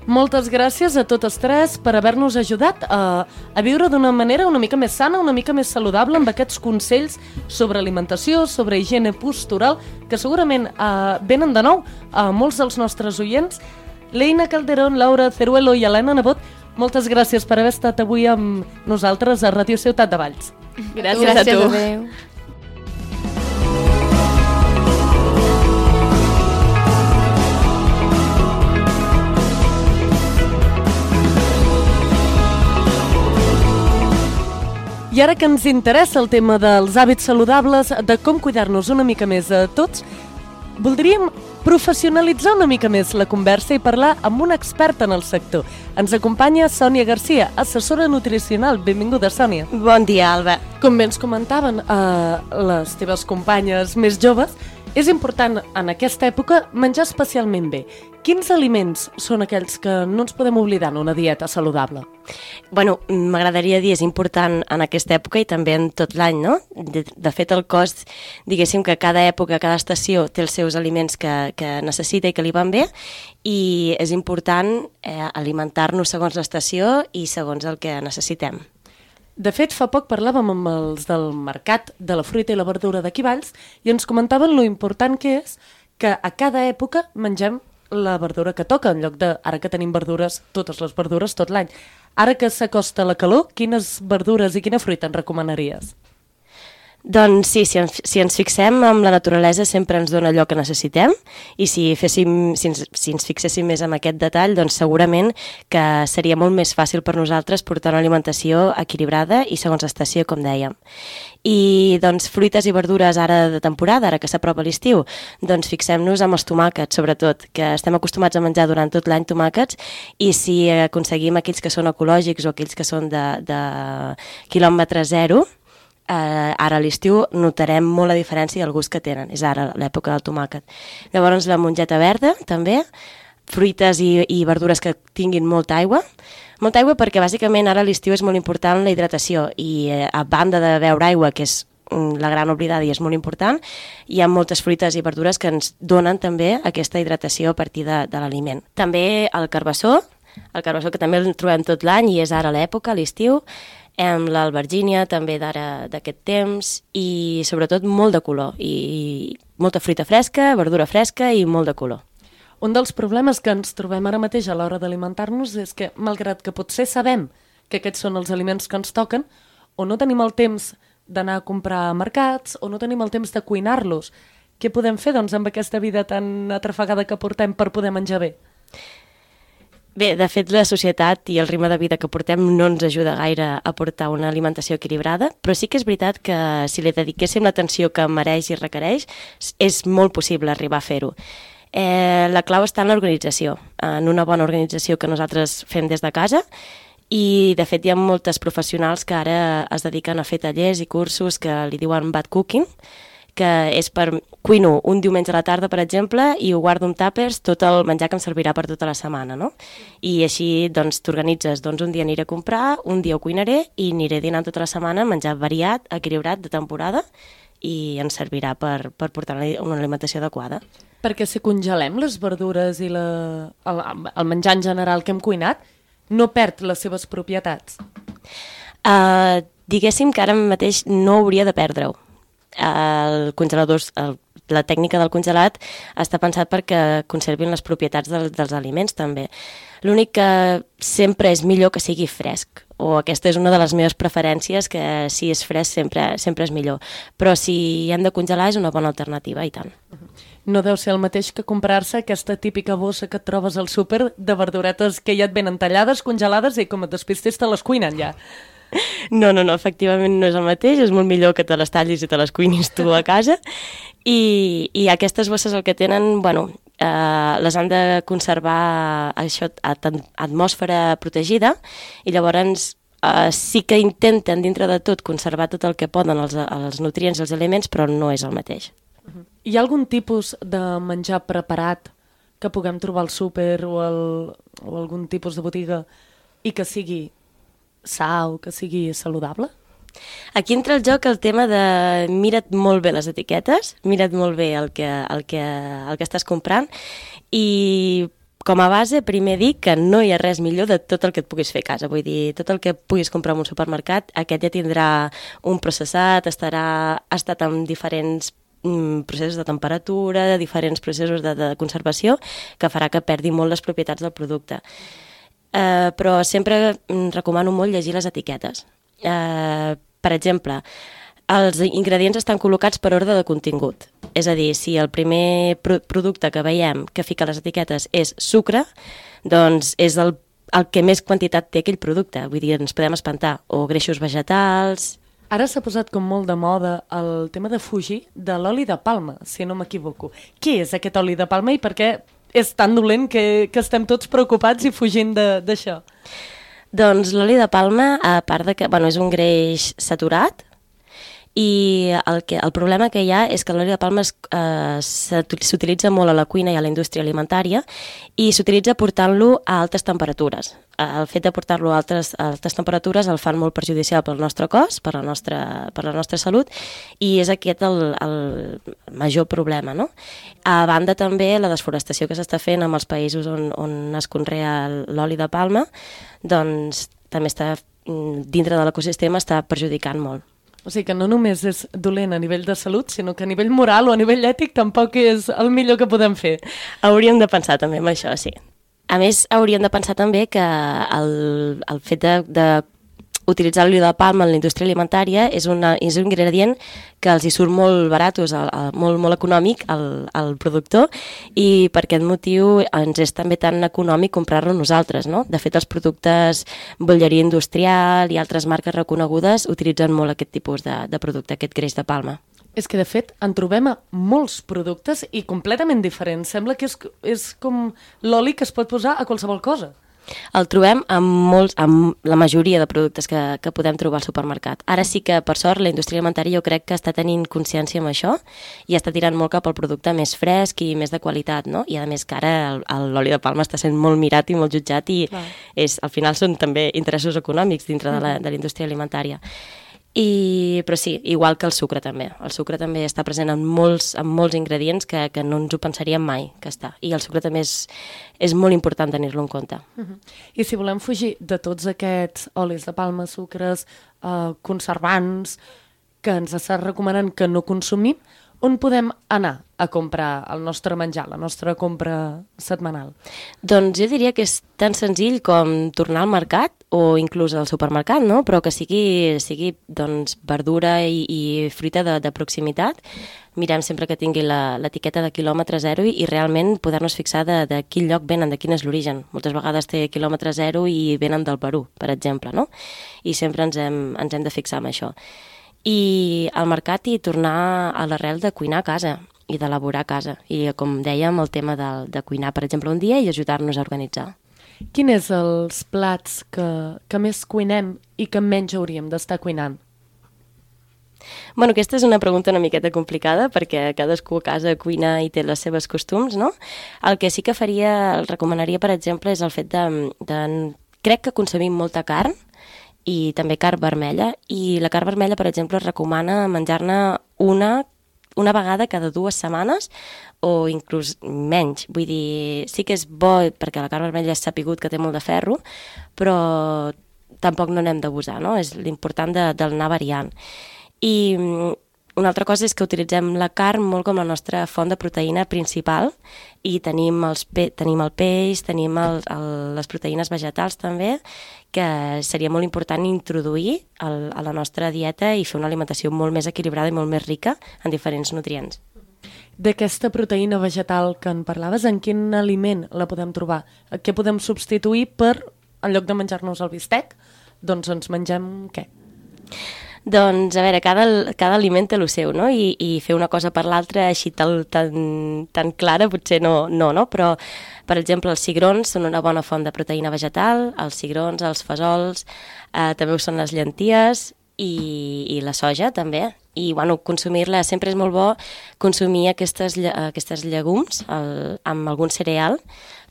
Speaker 2: Moltes gràcies a totes tres per haver-nos ajudat a, a viure d'una manera una mica més sana, una mica més saludable, amb aquests consells sobre alimentació, sobre higiene postural, que segurament eh, venen de nou a molts dels nostres oients. L'Eina Calderón, Laura Ceruelo i Helena Nebot, moltes gràcies per haver estat avui amb nosaltres a Ràdio Ciutat de Valls.
Speaker 6: Gràcies, Gràcies a tu.
Speaker 7: Adéu.
Speaker 2: I ara que ens interessa el tema dels hàbits saludables, de com cuidar-nos una mica més a tots, voldríem professionalitzar una mica més la conversa i parlar amb una experta en el sector. Ens acompanya Sònia Garcia, assessora nutricional. Benvinguda, Sònia.
Speaker 8: Bon dia, Alba.
Speaker 2: Com bé ens comentaven eh, les teves companyes més joves, és important en aquesta època menjar especialment bé. Quins aliments són aquells que no ens podem oblidar en una dieta saludable?
Speaker 8: Bueno, m'agradaria dir, és important en aquesta època i també en tot l'any, no? De, de fet, el cos, diguéssim que cada època, cada estació té els seus aliments que, que necessita i que li van bé, i és important eh, alimentar-nos segons l'estació i segons el que necessitem.
Speaker 2: De fet, fa poc parlàvem amb els del mercat de la fruita i la verdura d'aquí Valls i ens comentaven lo important que és que a cada època mengem la verdura que toca, en lloc de, ara que tenim verdures, totes les verdures tot l'any. Ara que s'acosta la calor, quines verdures i quina fruita ens recomanaries?
Speaker 8: Doncs sí, si ens, si ens fixem en la naturalesa sempre ens dona allò que necessitem, i si, féssim, si, ens, si ens fixéssim més en aquest detall, doncs segurament que seria molt més fàcil per nosaltres portar una alimentació equilibrada i segons estació, com dèiem. I doncs fruites i verdures ara de temporada, ara que s'apropa l'estiu, doncs fixem-nos amb els tomàquets, sobretot, que estem acostumats a menjar durant tot l'any tomàquets, i si aconseguim aquells que són ecològics o aquells que són de, de quilòmetre zero, Uh, ara a l'estiu notarem molt la diferència i el gust que tenen. És ara l'època del tomàquet. Llavors la mongeta verda, també, fruites i, i verdures que tinguin molta aigua. Molta aigua perquè bàsicament ara a l'estiu és molt important la hidratació i eh, a banda de beure aigua, que és la gran oblidada i és molt important, hi ha moltes fruites i verdures que ens donen també aquesta hidratació a partir de, de l'aliment. També el carbassó, el carbassó que també el trobem tot l'any i és ara l'època, l'estiu, amb l'albergínia també d'ara d'aquest temps i sobretot molt de color i molta fruita fresca, verdura fresca i molt de color.
Speaker 2: Un dels problemes que ens trobem ara mateix a l'hora d'alimentar-nos és que, malgrat que potser sabem que aquests són els aliments que ens toquen, o no tenim el temps d'anar a comprar a mercats o no tenim el temps de cuinar-los. Què podem fer doncs amb aquesta vida tan atrafegada que portem per poder menjar bé?
Speaker 8: Bé, de fet, la societat i el ritme de vida que portem no ens ajuda gaire a portar una alimentació equilibrada, però sí que és veritat que si li dediquéssim l'atenció que mereix i requereix, és molt possible arribar a fer-ho. Eh, la clau està en l'organització, en una bona organització que nosaltres fem des de casa, i de fet hi ha moltes professionals que ara es dediquen a fer tallers i cursos que li diuen bad cooking, que és per... Cuino un diumenge a la tarda, per exemple, i ho guardo en tàpers tot el menjar que em servirà per tota la setmana, no? I així, doncs, t'organitzes, doncs un dia aniré a comprar, un dia ho cuinaré i aniré dinant tota la setmana, menjar variat, equilibrat, de temporada, i ens servirà per, per portar una alimentació adequada.
Speaker 2: Perquè si congelem les verdures i la, el, el menjar en general que hem cuinat, no perd les seves propietats.
Speaker 8: Uh, diguéssim que ara mateix no hauria de perdre-ho. El congelador, el, la tècnica del congelat està pensat perquè conservin les propietats del, dels aliments també. L'únic que sempre és millor que sigui fresc, o aquesta és una de les meves preferències, que si és fresc sempre, sempre és millor. Però si hem de congelar és una bona alternativa, i tant.
Speaker 2: No deu ser el mateix que comprar-se aquesta típica bossa que et trobes al súper de verduretes que ja et venen tallades, congelades, i com et despistes te les cuinen ja.
Speaker 8: No, no, no, efectivament no és el mateix, és molt millor que te les tallis i te les cuinis tu a casa, i, i aquestes bosses el que tenen, bueno, eh, les han de conservar això, a atmosfera protegida, i llavors eh, sí que intenten dintre de tot conservar tot el que poden, els, els nutrients i els aliments, però no és el mateix.
Speaker 2: Hi ha algun tipus de menjar preparat que puguem trobar al súper o, el, o algun tipus de botiga i que sigui sa o que sigui saludable?
Speaker 8: Aquí entra el joc el tema de mira't molt bé les etiquetes, mira't molt bé el que, el que, el que estàs comprant, i com a base primer dic que no hi ha res millor de tot el que et puguis fer a casa. Vull dir, tot el que puguis comprar en un supermercat, aquest ja tindrà un processat, estarà, ha estat amb diferents mm, processos de temperatura, de diferents processos de, de conservació, que farà que perdi molt les propietats del producte. Uh, però sempre recomano molt llegir les etiquetes. Uh, per exemple, els ingredients estan col·locats per ordre de contingut. És a dir, si el primer pro producte que veiem que fica les etiquetes és sucre, doncs és el, el que més quantitat té aquell producte. Vull dir, ens podem espantar. O greixos vegetals...
Speaker 2: Ara s'ha posat com molt de moda el tema de fugir de l'oli de palma, si no m'equivoco. Què és aquest oli de palma i per què és tan dolent que, que estem tots preocupats i fugint d'això?
Speaker 8: Doncs l'oli de palma, a part de que bueno, és un greix saturat, i el, que, el problema que hi ha és que l'oli de palma eh, s'utilitza molt a la cuina i a la indústria alimentària, i s'utilitza portant-lo a altes temperatures. El fet de portar-lo a altes, a altes temperatures el fan molt perjudicial pel nostre cos, per la nostra, per la nostra salut, i és aquest el, el major problema, no? A banda també la desforestació que s'està fent en els països on, on es conrea l'oli de palma, doncs també està dintre de l'ecosistema, està perjudicant molt.
Speaker 2: O sigui que no només és dolent a nivell de salut, sinó que a nivell moral o a nivell ètic tampoc és el millor que podem fer.
Speaker 8: Hauríem de pensar també en això, sí. A més, hauríem de pensar també que el, el fet de, de utilitzar l'oli de palma en la indústria alimentària és, una, és un ingredient que els hi surt molt baratos, el, el, molt, molt econòmic al, al productor, i per aquest motiu ens és també tan econòmic comprar-lo nosaltres, no? De fet, els productes bolleria industrial i altres marques reconegudes utilitzen molt aquest tipus de, de producte, aquest greix de palma.
Speaker 2: És que, de fet, en trobem a molts productes i completament diferents. Sembla que és, és com l'oli que es pot posar a qualsevol cosa.
Speaker 8: El trobem amb, molts, amb la majoria de productes que, que podem trobar al supermercat. Ara sí que, per sort, la indústria alimentària jo crec que està tenint consciència amb això i està tirant molt cap al producte més fresc i més de qualitat, no? I a més que ara l'oli de palma està sent molt mirat i molt jutjat i és, al final són també interessos econòmics dintre de la, de la indústria alimentària. I, però sí, igual que el sucre també. El sucre també està present en molts, en molts ingredients que, que no ens ho pensaríem mai que està. I el sucre també és, és molt important tenir-lo en compte.
Speaker 2: Uh-huh. I si volem fugir de tots aquests olis de palma, sucres, eh, conservants, que ens està recomanant que no consumim, on podem anar a comprar el nostre menjar, la nostra compra setmanal?
Speaker 8: Doncs jo diria que és tan senzill com tornar al mercat o inclús al supermercat, no? Però que sigui, sigui doncs, verdura i, i fruita de, de proximitat. Mirem sempre que tingui l'etiqueta de quilòmetre zero i, i realment poder-nos fixar de, de quin lloc venen, de quin és l'origen. Moltes vegades té quilòmetre zero i venen del Perú, per exemple, no? I sempre ens hem, ens hem de fixar en això. I al mercat i tornar a l'arrel de cuinar a casa i d'elaborar a casa. I com dèiem, el tema de, de cuinar, per exemple, un dia i ajudar-nos a organitzar.
Speaker 2: Quins és els plats que, que més cuinem i que menys hauríem d'estar cuinant?
Speaker 8: Bueno, aquesta és una pregunta una miqueta complicada perquè cadascú a casa cuina i té les seves costums, no? El que sí que faria, el recomanaria, per exemple, és el fet de... de crec que consumim molta carn i també carn vermella, i la carn vermella, per exemple, es recomana menjar-ne una una vegada cada dues setmanes o inclús menys. Vull dir, sí que és bo perquè la carn vermella és sapigut que té molt de ferro, però tampoc no n'hem d'abusar, no? És l'important de, d'anar variant. I una altra cosa és que utilitzem la carn molt com la nostra font de proteïna principal i tenim, els pe tenim el peix, tenim el, el, les proteïnes vegetals també, que seria molt important introduir el, a la nostra dieta i fer una alimentació molt més equilibrada i molt més rica en diferents nutrients.
Speaker 2: D'aquesta proteïna vegetal que en parlaves, en quin aliment la podem trobar? Què podem substituir per, en lloc de menjar-nos el bistec, doncs ens mengem què?
Speaker 8: Doncs, a veure, cada, cada aliment té el seu, no? I, i fer una cosa per l'altra així tan, tan, tan clara potser no, no, no? Però, per exemple, els cigrons són una bona font de proteïna vegetal, els cigrons, els fesols, eh, també ho són les llenties i, i la soja, també. I, bueno, consumir-la, sempre és molt bo consumir aquestes, aquestes llegums el, amb algun cereal,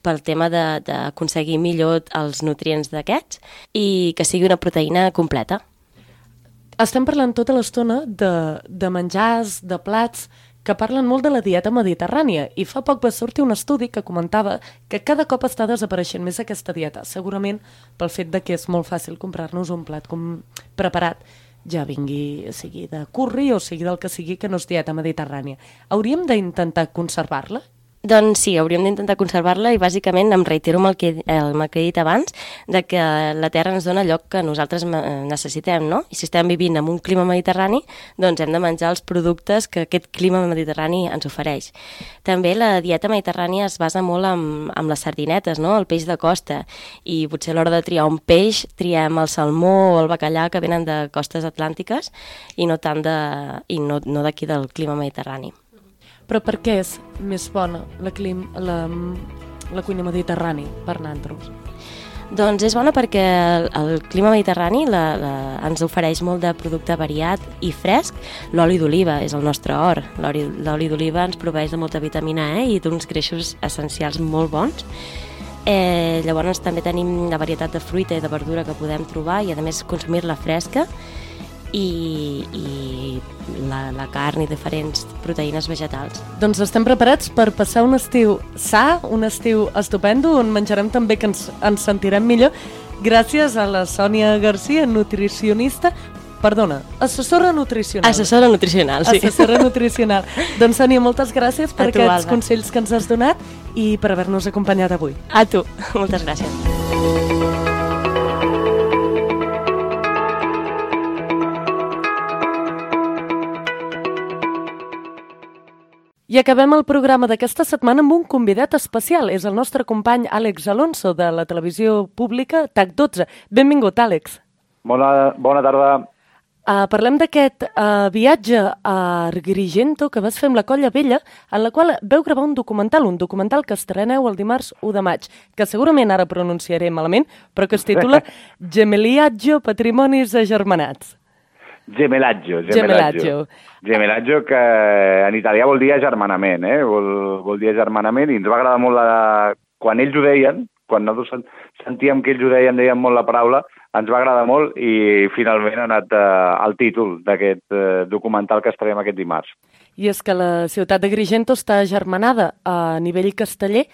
Speaker 8: pel tema d'aconseguir millor els nutrients d'aquests i que sigui una proteïna completa.
Speaker 2: Estem parlant tota l'estona de, de menjars, de plats, que parlen molt de la dieta mediterrània, i fa poc va sortir un estudi que comentava que cada cop està desapareixent més aquesta dieta, segurament pel fet de que és molt fàcil comprar-nos un plat com preparat, ja vingui, sigui de curri o sigui del que sigui, que no és dieta mediterrània. Hauríem d'intentar conservar-la?
Speaker 8: Doncs sí, hauríem d'intentar conservar-la i bàsicament em reitero amb el que, el que he dit abans, de que la Terra ens dona allò que nosaltres necessitem, no? I si estem vivint en un clima mediterrani, doncs hem de menjar els productes que aquest clima mediterrani ens ofereix. També la dieta mediterrània es basa molt en, en les sardinetes, no? El peix de costa, i potser a l'hora de triar un peix triem el salmó o el bacallà que venen de costes atlàntiques i no tant de, i no, no d'aquí del clima mediterrani.
Speaker 2: Però per què és més bona la, clim, la, la cuina mediterrani per nosaltres?
Speaker 8: Doncs és bona perquè el, el clima mediterrani la, la, ens ofereix molt de producte variat i fresc. L'oli d'oliva és el nostre or. L'oli d'oliva ens proveeix de molta vitamina E i d'uns greixos essencials molt bons. Eh, llavors també tenim la varietat de fruita i de verdura que podem trobar i a més consumir-la fresca. I, i la, la carn i diferents proteïnes vegetals.
Speaker 2: Doncs estem preparats per passar un estiu sa, un estiu estupendo, on menjarem també que ens, ens sentirem millor. Gràcies a la Sònia Garcia, nutricionista, perdona, assessora nutricional.
Speaker 8: Assessora nutricional, sí.
Speaker 2: Assessora nutricional. Doncs Sònia, moltes gràcies per
Speaker 8: tu,
Speaker 2: aquests
Speaker 8: Alba.
Speaker 2: consells que ens has donat i per haver-nos acompanyat avui.
Speaker 8: A tu, moltes gràcies.
Speaker 2: I acabem el programa d'aquesta setmana amb un convidat especial. És el nostre company Àlex Alonso, de la televisió pública T A C dotze. Benvingut, Àlex.
Speaker 9: Bona, bona tarda.
Speaker 2: Uh, parlem d'aquest uh, viatge a Agrigento que vas fer amb la Colla Vella, en la qual veu gravar un documental, un documental que estreneu el dimarts u de maig, que segurament ara pronunciaré malament, però que es titula Gemellaggio, Patrimonis agermanats.
Speaker 9: Gemellaggio,
Speaker 2: Gemellaggio.
Speaker 9: Gemellaggio. Gemellaggio, que en italià vol dir agermanament, eh? Vol, vol dir agermanament, i ens va agradar molt la... quan ells ho deien, quan nosaltres sentíem que ells ho deien, deien molt la paraula, ens va agradar molt i finalment ha anat eh, el títol d'aquest eh, documental que estrenem aquest dimarts.
Speaker 2: I és que la ciutat d'Agrigento està agermanada a nivell casteller,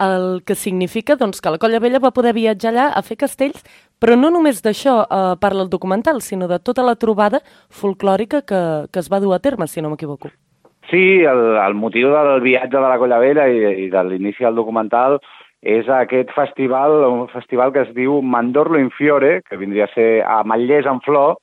Speaker 2: el que significa doncs, que la Colla Vella va poder viatjar allà a fer castells, però no només d'això eh, parla el documental, sinó de tota la trobada folclòrica que, que es va dur a terme, si no m'equivoco.
Speaker 9: Sí, el, el motiu del viatge de la Colla Vella i, i de l'inici del documental és aquest festival, un festival que es diu Mandorlo in Fiore, que vindria a ser a Ametllers en flor,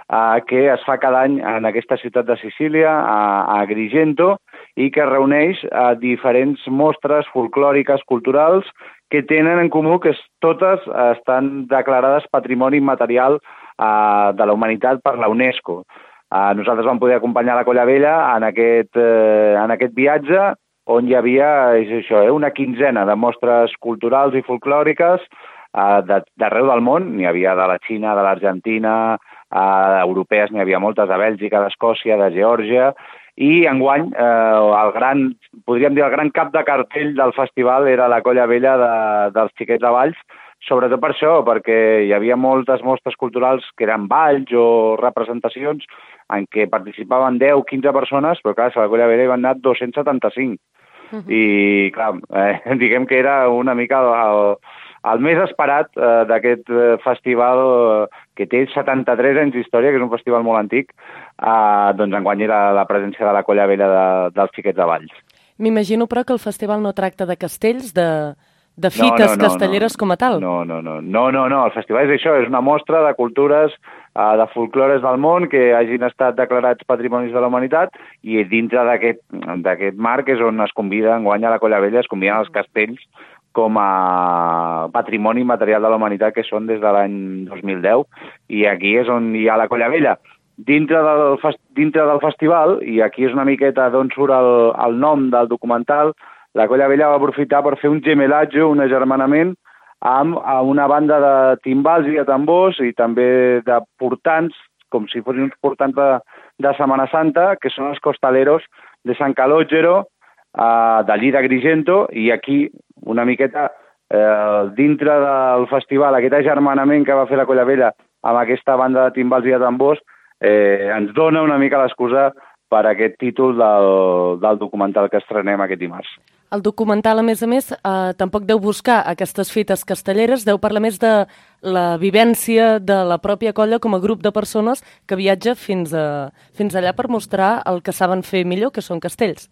Speaker 9: eh, que es fa cada any en aquesta ciutat de Sicília, a, a Agrigento, i que reuneix eh, diferents mostres folclòriques, culturals, que tenen en comú que totes eh, estan declarades Patrimoni Immaterial eh, de la Humanitat per la UNESCO. Eh, nosaltres vam poder acompanyar la Colla Vella en aquest, eh, en aquest viatge, on hi havia és això, eh, una quinzena de mostres culturals i folclòriques uh, d'arreu del món, n'hi havia de la Xina, de l'Argentina, uh, europees n'hi havia moltes, de Bèlgica, d'Escòcia, de Geòrgia, i enguany eh, el gran, podríem dir el gran cap de cartell del festival era la Colla Vella de, dels Xiquets de Valls, sobretot per això, perquè hi havia moltes mostres culturals que eren balls o representacions en què participaven deu o quinze persones, però clar, a la Colla Vella hi van anar dos-cents setanta-cinc. Uh -huh. I clar, eh, diguem que era una mica el, el més esperat eh, d'aquest eh, festival eh, que té setanta-tres anys d'història, que és un festival molt antic, eh, doncs enguany era la presència de la Colla Vella de, dels Xiquets de Valls.
Speaker 2: M'imagino, però, que el festival no tracta de castells, de, de fites no, no, no, castelleres
Speaker 9: no.
Speaker 2: com a tal.
Speaker 9: No, no, no, no, no, no, el festival és això, és una mostra de cultures, eh, de folclores del món que hagin estat declarats patrimonis de la humanitat, i dintre d'aquest marc és on es convida enguany a la Colla Vella, es conviden els castells com a patrimoni material de la humanitat, que són des de l'any dos mil deu, i aquí és on hi ha la Colla Vella. Dintre del, dintre del festival, i aquí és una miqueta d'on surt el, el nom del documental, la Colla Vella va aprofitar per fer un gemelatge, un agermanament, amb, amb una banda de timbals i de tambors i també de portants, com si fossin uns portants de, de Setmana Santa, que són els Costaleros de San Calogero, eh, d'allí d'Agrigento, i aquí una miqueta eh, dintre del festival, aquest agermanament que va fer la Colla Vella amb aquesta banda de timbals i de tambors, eh, ens dona una mica l'excusa per aquest títol del, del documental que estrenem aquest dimarts.
Speaker 2: El documental, a més a més, eh, tampoc deu buscar aquestes fites castelleres, deu parlar més de la vivència de la pròpia colla com a grup de persones que viatja fins, a, fins allà per mostrar el que saben fer millor, que són castells.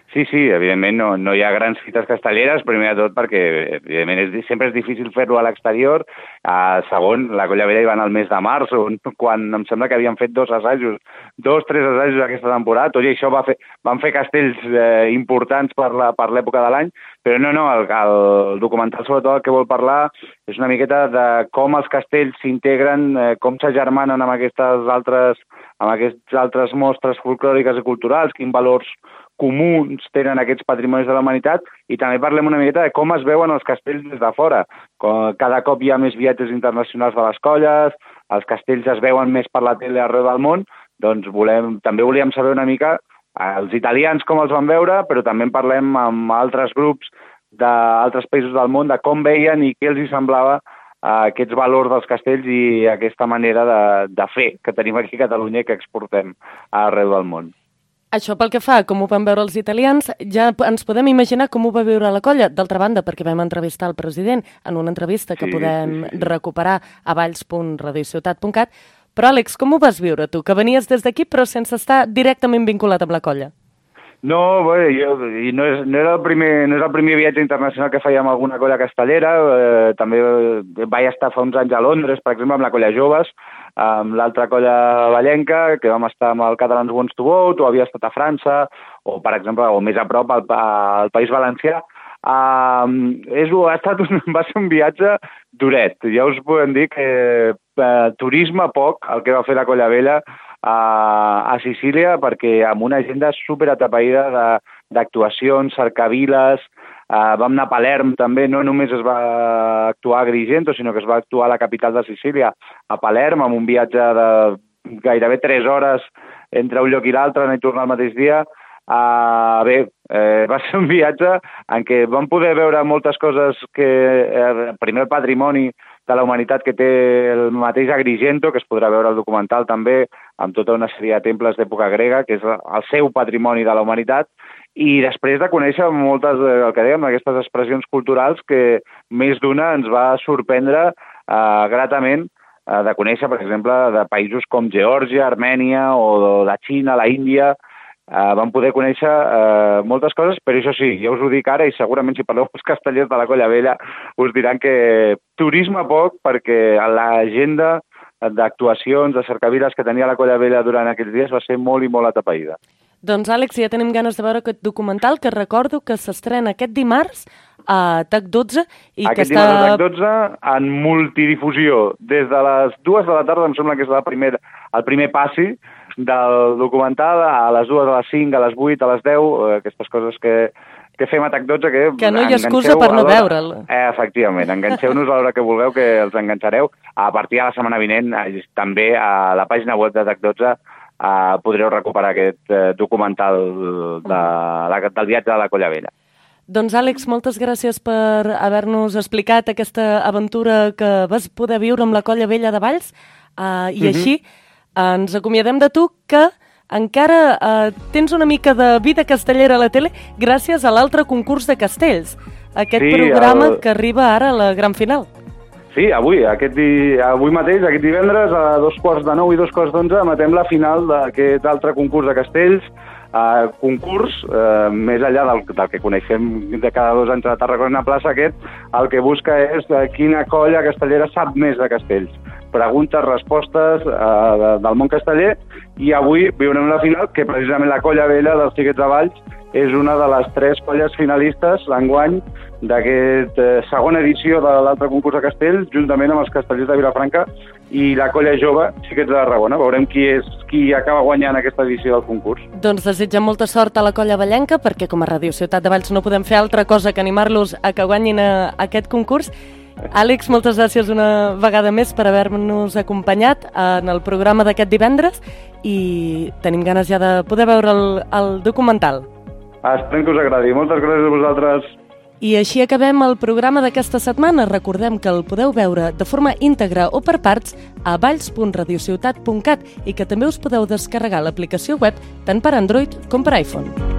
Speaker 9: Sí, sí, evidentment no, no hi ha grans fites castelleres, primer de tot perquè evidentment és, sempre és difícil fer-lo a l'exterior. Uh, segon, la Colla Vella hi va anar al mes de març, on, quan em sembla que havien fet dos assajos, dos, tres assajos aquesta temporada, tot i això va fer, van fer castells eh, importants per l'època de l'any, però no, no, el, el documental sobretot el que vol parlar és una miqueta de com els castells s'integren, eh, com s'agermanen amb aquestes altres, amb aquestes altres mostres folclòriques i culturals, quins valors comuns tenen aquests patrimonis de la humanitat, i també parlem una miqueta de com es veuen els castells des de fora. Cada cop hi ha més viatges internacionals de les colles, els castells es veuen més per la tele arreu del món, doncs volem, també volíem saber una mica els italians com els van veure, però també en parlem amb altres grups d'altres països del món de com veien i què els hi semblava aquests valors dels castells i aquesta manera de, de fer que tenim aquí a Catalunya i que exportem arreu del món.
Speaker 2: Això pel que fa, com ho van veure els italians, ja ens podem imaginar com ho va viure la colla. D'altra banda, perquè vam entrevistar el president en una entrevista que sí, podem sí, sí. recuperar a valls punt radiociutat punt cat. Però, Àlex, com ho vas viure tu? Que venies des d'aquí però sense estar directament vinculat amb la colla.
Speaker 9: No, bé, jo, no, és, no, era el primer, no és el primer viatge internacional que feia amb alguna colla castellera. Eh, també vaig estar fa uns anys a Londres, per exemple, amb la Colla Joves, amb l'altra colla vallenca, que vam estar amb el Catalans Wants to Vote, o havia estat a França, o, per exemple, o més a prop, al, al País Valencià. Uh, és, ha estat un, va ser un viatge duret. Ja us podem dir que uh, turisme poc, el que va fer la Colla Vella, a Sicília, perquè amb una agenda superatapeïda d'actuacions, cercaviles, uh, vam anar a Palerm també, no només es va actuar a Agrigento, sinó que es va actuar a la capital de Sicília, a Palerm, amb un viatge de gairebé tres hores entre un lloc i l'altre, anar i tornar el mateix dia. Uh, bé, eh, va ser un viatge en què vam poder veure moltes coses que, eh, primer el patrimoni de la humanitat que té el mateix Agrigento, que es podrà veure al documental també, amb tota una sèrie de temples d'època grega, que és el seu patrimoni de la humanitat, i després de conèixer moltes, el que dèiem, aquestes expressions culturals que més d'una ens va sorprendre eh, gratament, eh, de conèixer, per exemple, de països com Geòrgia, Armènia, o de Xina, la Índia. Uh, vam poder conèixer uh, moltes coses, però això sí, ja us ho dic ara, i segurament si parleu els castellers de la Colla Vella us diran que turisme poc, perquè l'agenda d'actuacions, de cercaviles que tenia la Colla Vella durant aquells dies va ser molt i molt atapeïda.
Speaker 2: Doncs, Àlex, ja tenim ganes de veure aquest documental, que recordo que s'estrena aquest dimarts a T A C dotze. I
Speaker 9: aquest
Speaker 2: que
Speaker 9: dimarts
Speaker 2: està...
Speaker 9: a T A C dotze, en multidifusió, des de les dues de la tarda, em sembla que és la primera, el primer passi del documental, a les dues, a les cinc, a les vuit, a les deu, aquestes coses que, què fem a T A C dotze? Que,
Speaker 2: que no hi ha excusa per no veure'l.
Speaker 9: Eh, efectivament, enganxeu-nos a l'hora que vulgueu, que els enganxareu. A partir de la setmana vinent, eh, també a la pàgina web de T A C dotze eh, podreu recuperar aquest eh, documental de, la, del viatge de la Colla Vella.
Speaker 2: Doncs, Àlex, moltes gràcies per haver-nos explicat aquesta aventura que vas poder viure amb la Colla Vella de Valls, uh, i uh-huh. així uh, ens acomiadem de tu, que encara uh, tens una mica de vida castellera a la tele gràcies a l'altre concurs de castells, aquest sí, programa el... que arriba ara a la gran final.
Speaker 9: Sí, avui, aquest di... avui mateix, aquest divendres, a dos quarts de nou i dos quarts d'onze, emetem la final d'aquest altre concurs de castells, Uh, concurs, uh, més enllà del, del que coneixem de cada dos anys a Tarragona Plaça, aquest, el que busca és uh, quina colla castellera sap més de castells. Preguntes, respostes uh, de, del món casteller, i avui viurem la final, que precisament la Colla Vella dels Xiquets de Valls és una de les tres colles finalistes l'enguany d'aquest eh, segona edició de l'altre concurs de castells, juntament amb els castellers de Vilafranca i la colla jove Xiquets de Tarragona. Veurem qui és qui acaba guanyant aquesta edició del concurs.
Speaker 2: Doncs desitgem molta sort a la colla vallenca, perquè com a Ràdio Ciutat de Valls no podem fer altra cosa que animar-los a que guanyin a, a aquest concurs. Àlex, moltes gràcies una vegada més per haver-nos acompanyat en el programa d'aquest divendres, i tenim ganes ja de poder veure el, el documental.
Speaker 9: Esperem que us agradi. Moltes gràcies a vosaltres.
Speaker 2: I així acabem el programa d'aquesta setmana. Recordem que el podeu veure de forma íntegra o per parts a valls punt radiociutat punt cat i que també us podeu descarregar l'aplicació web tant per Android com per iPhone.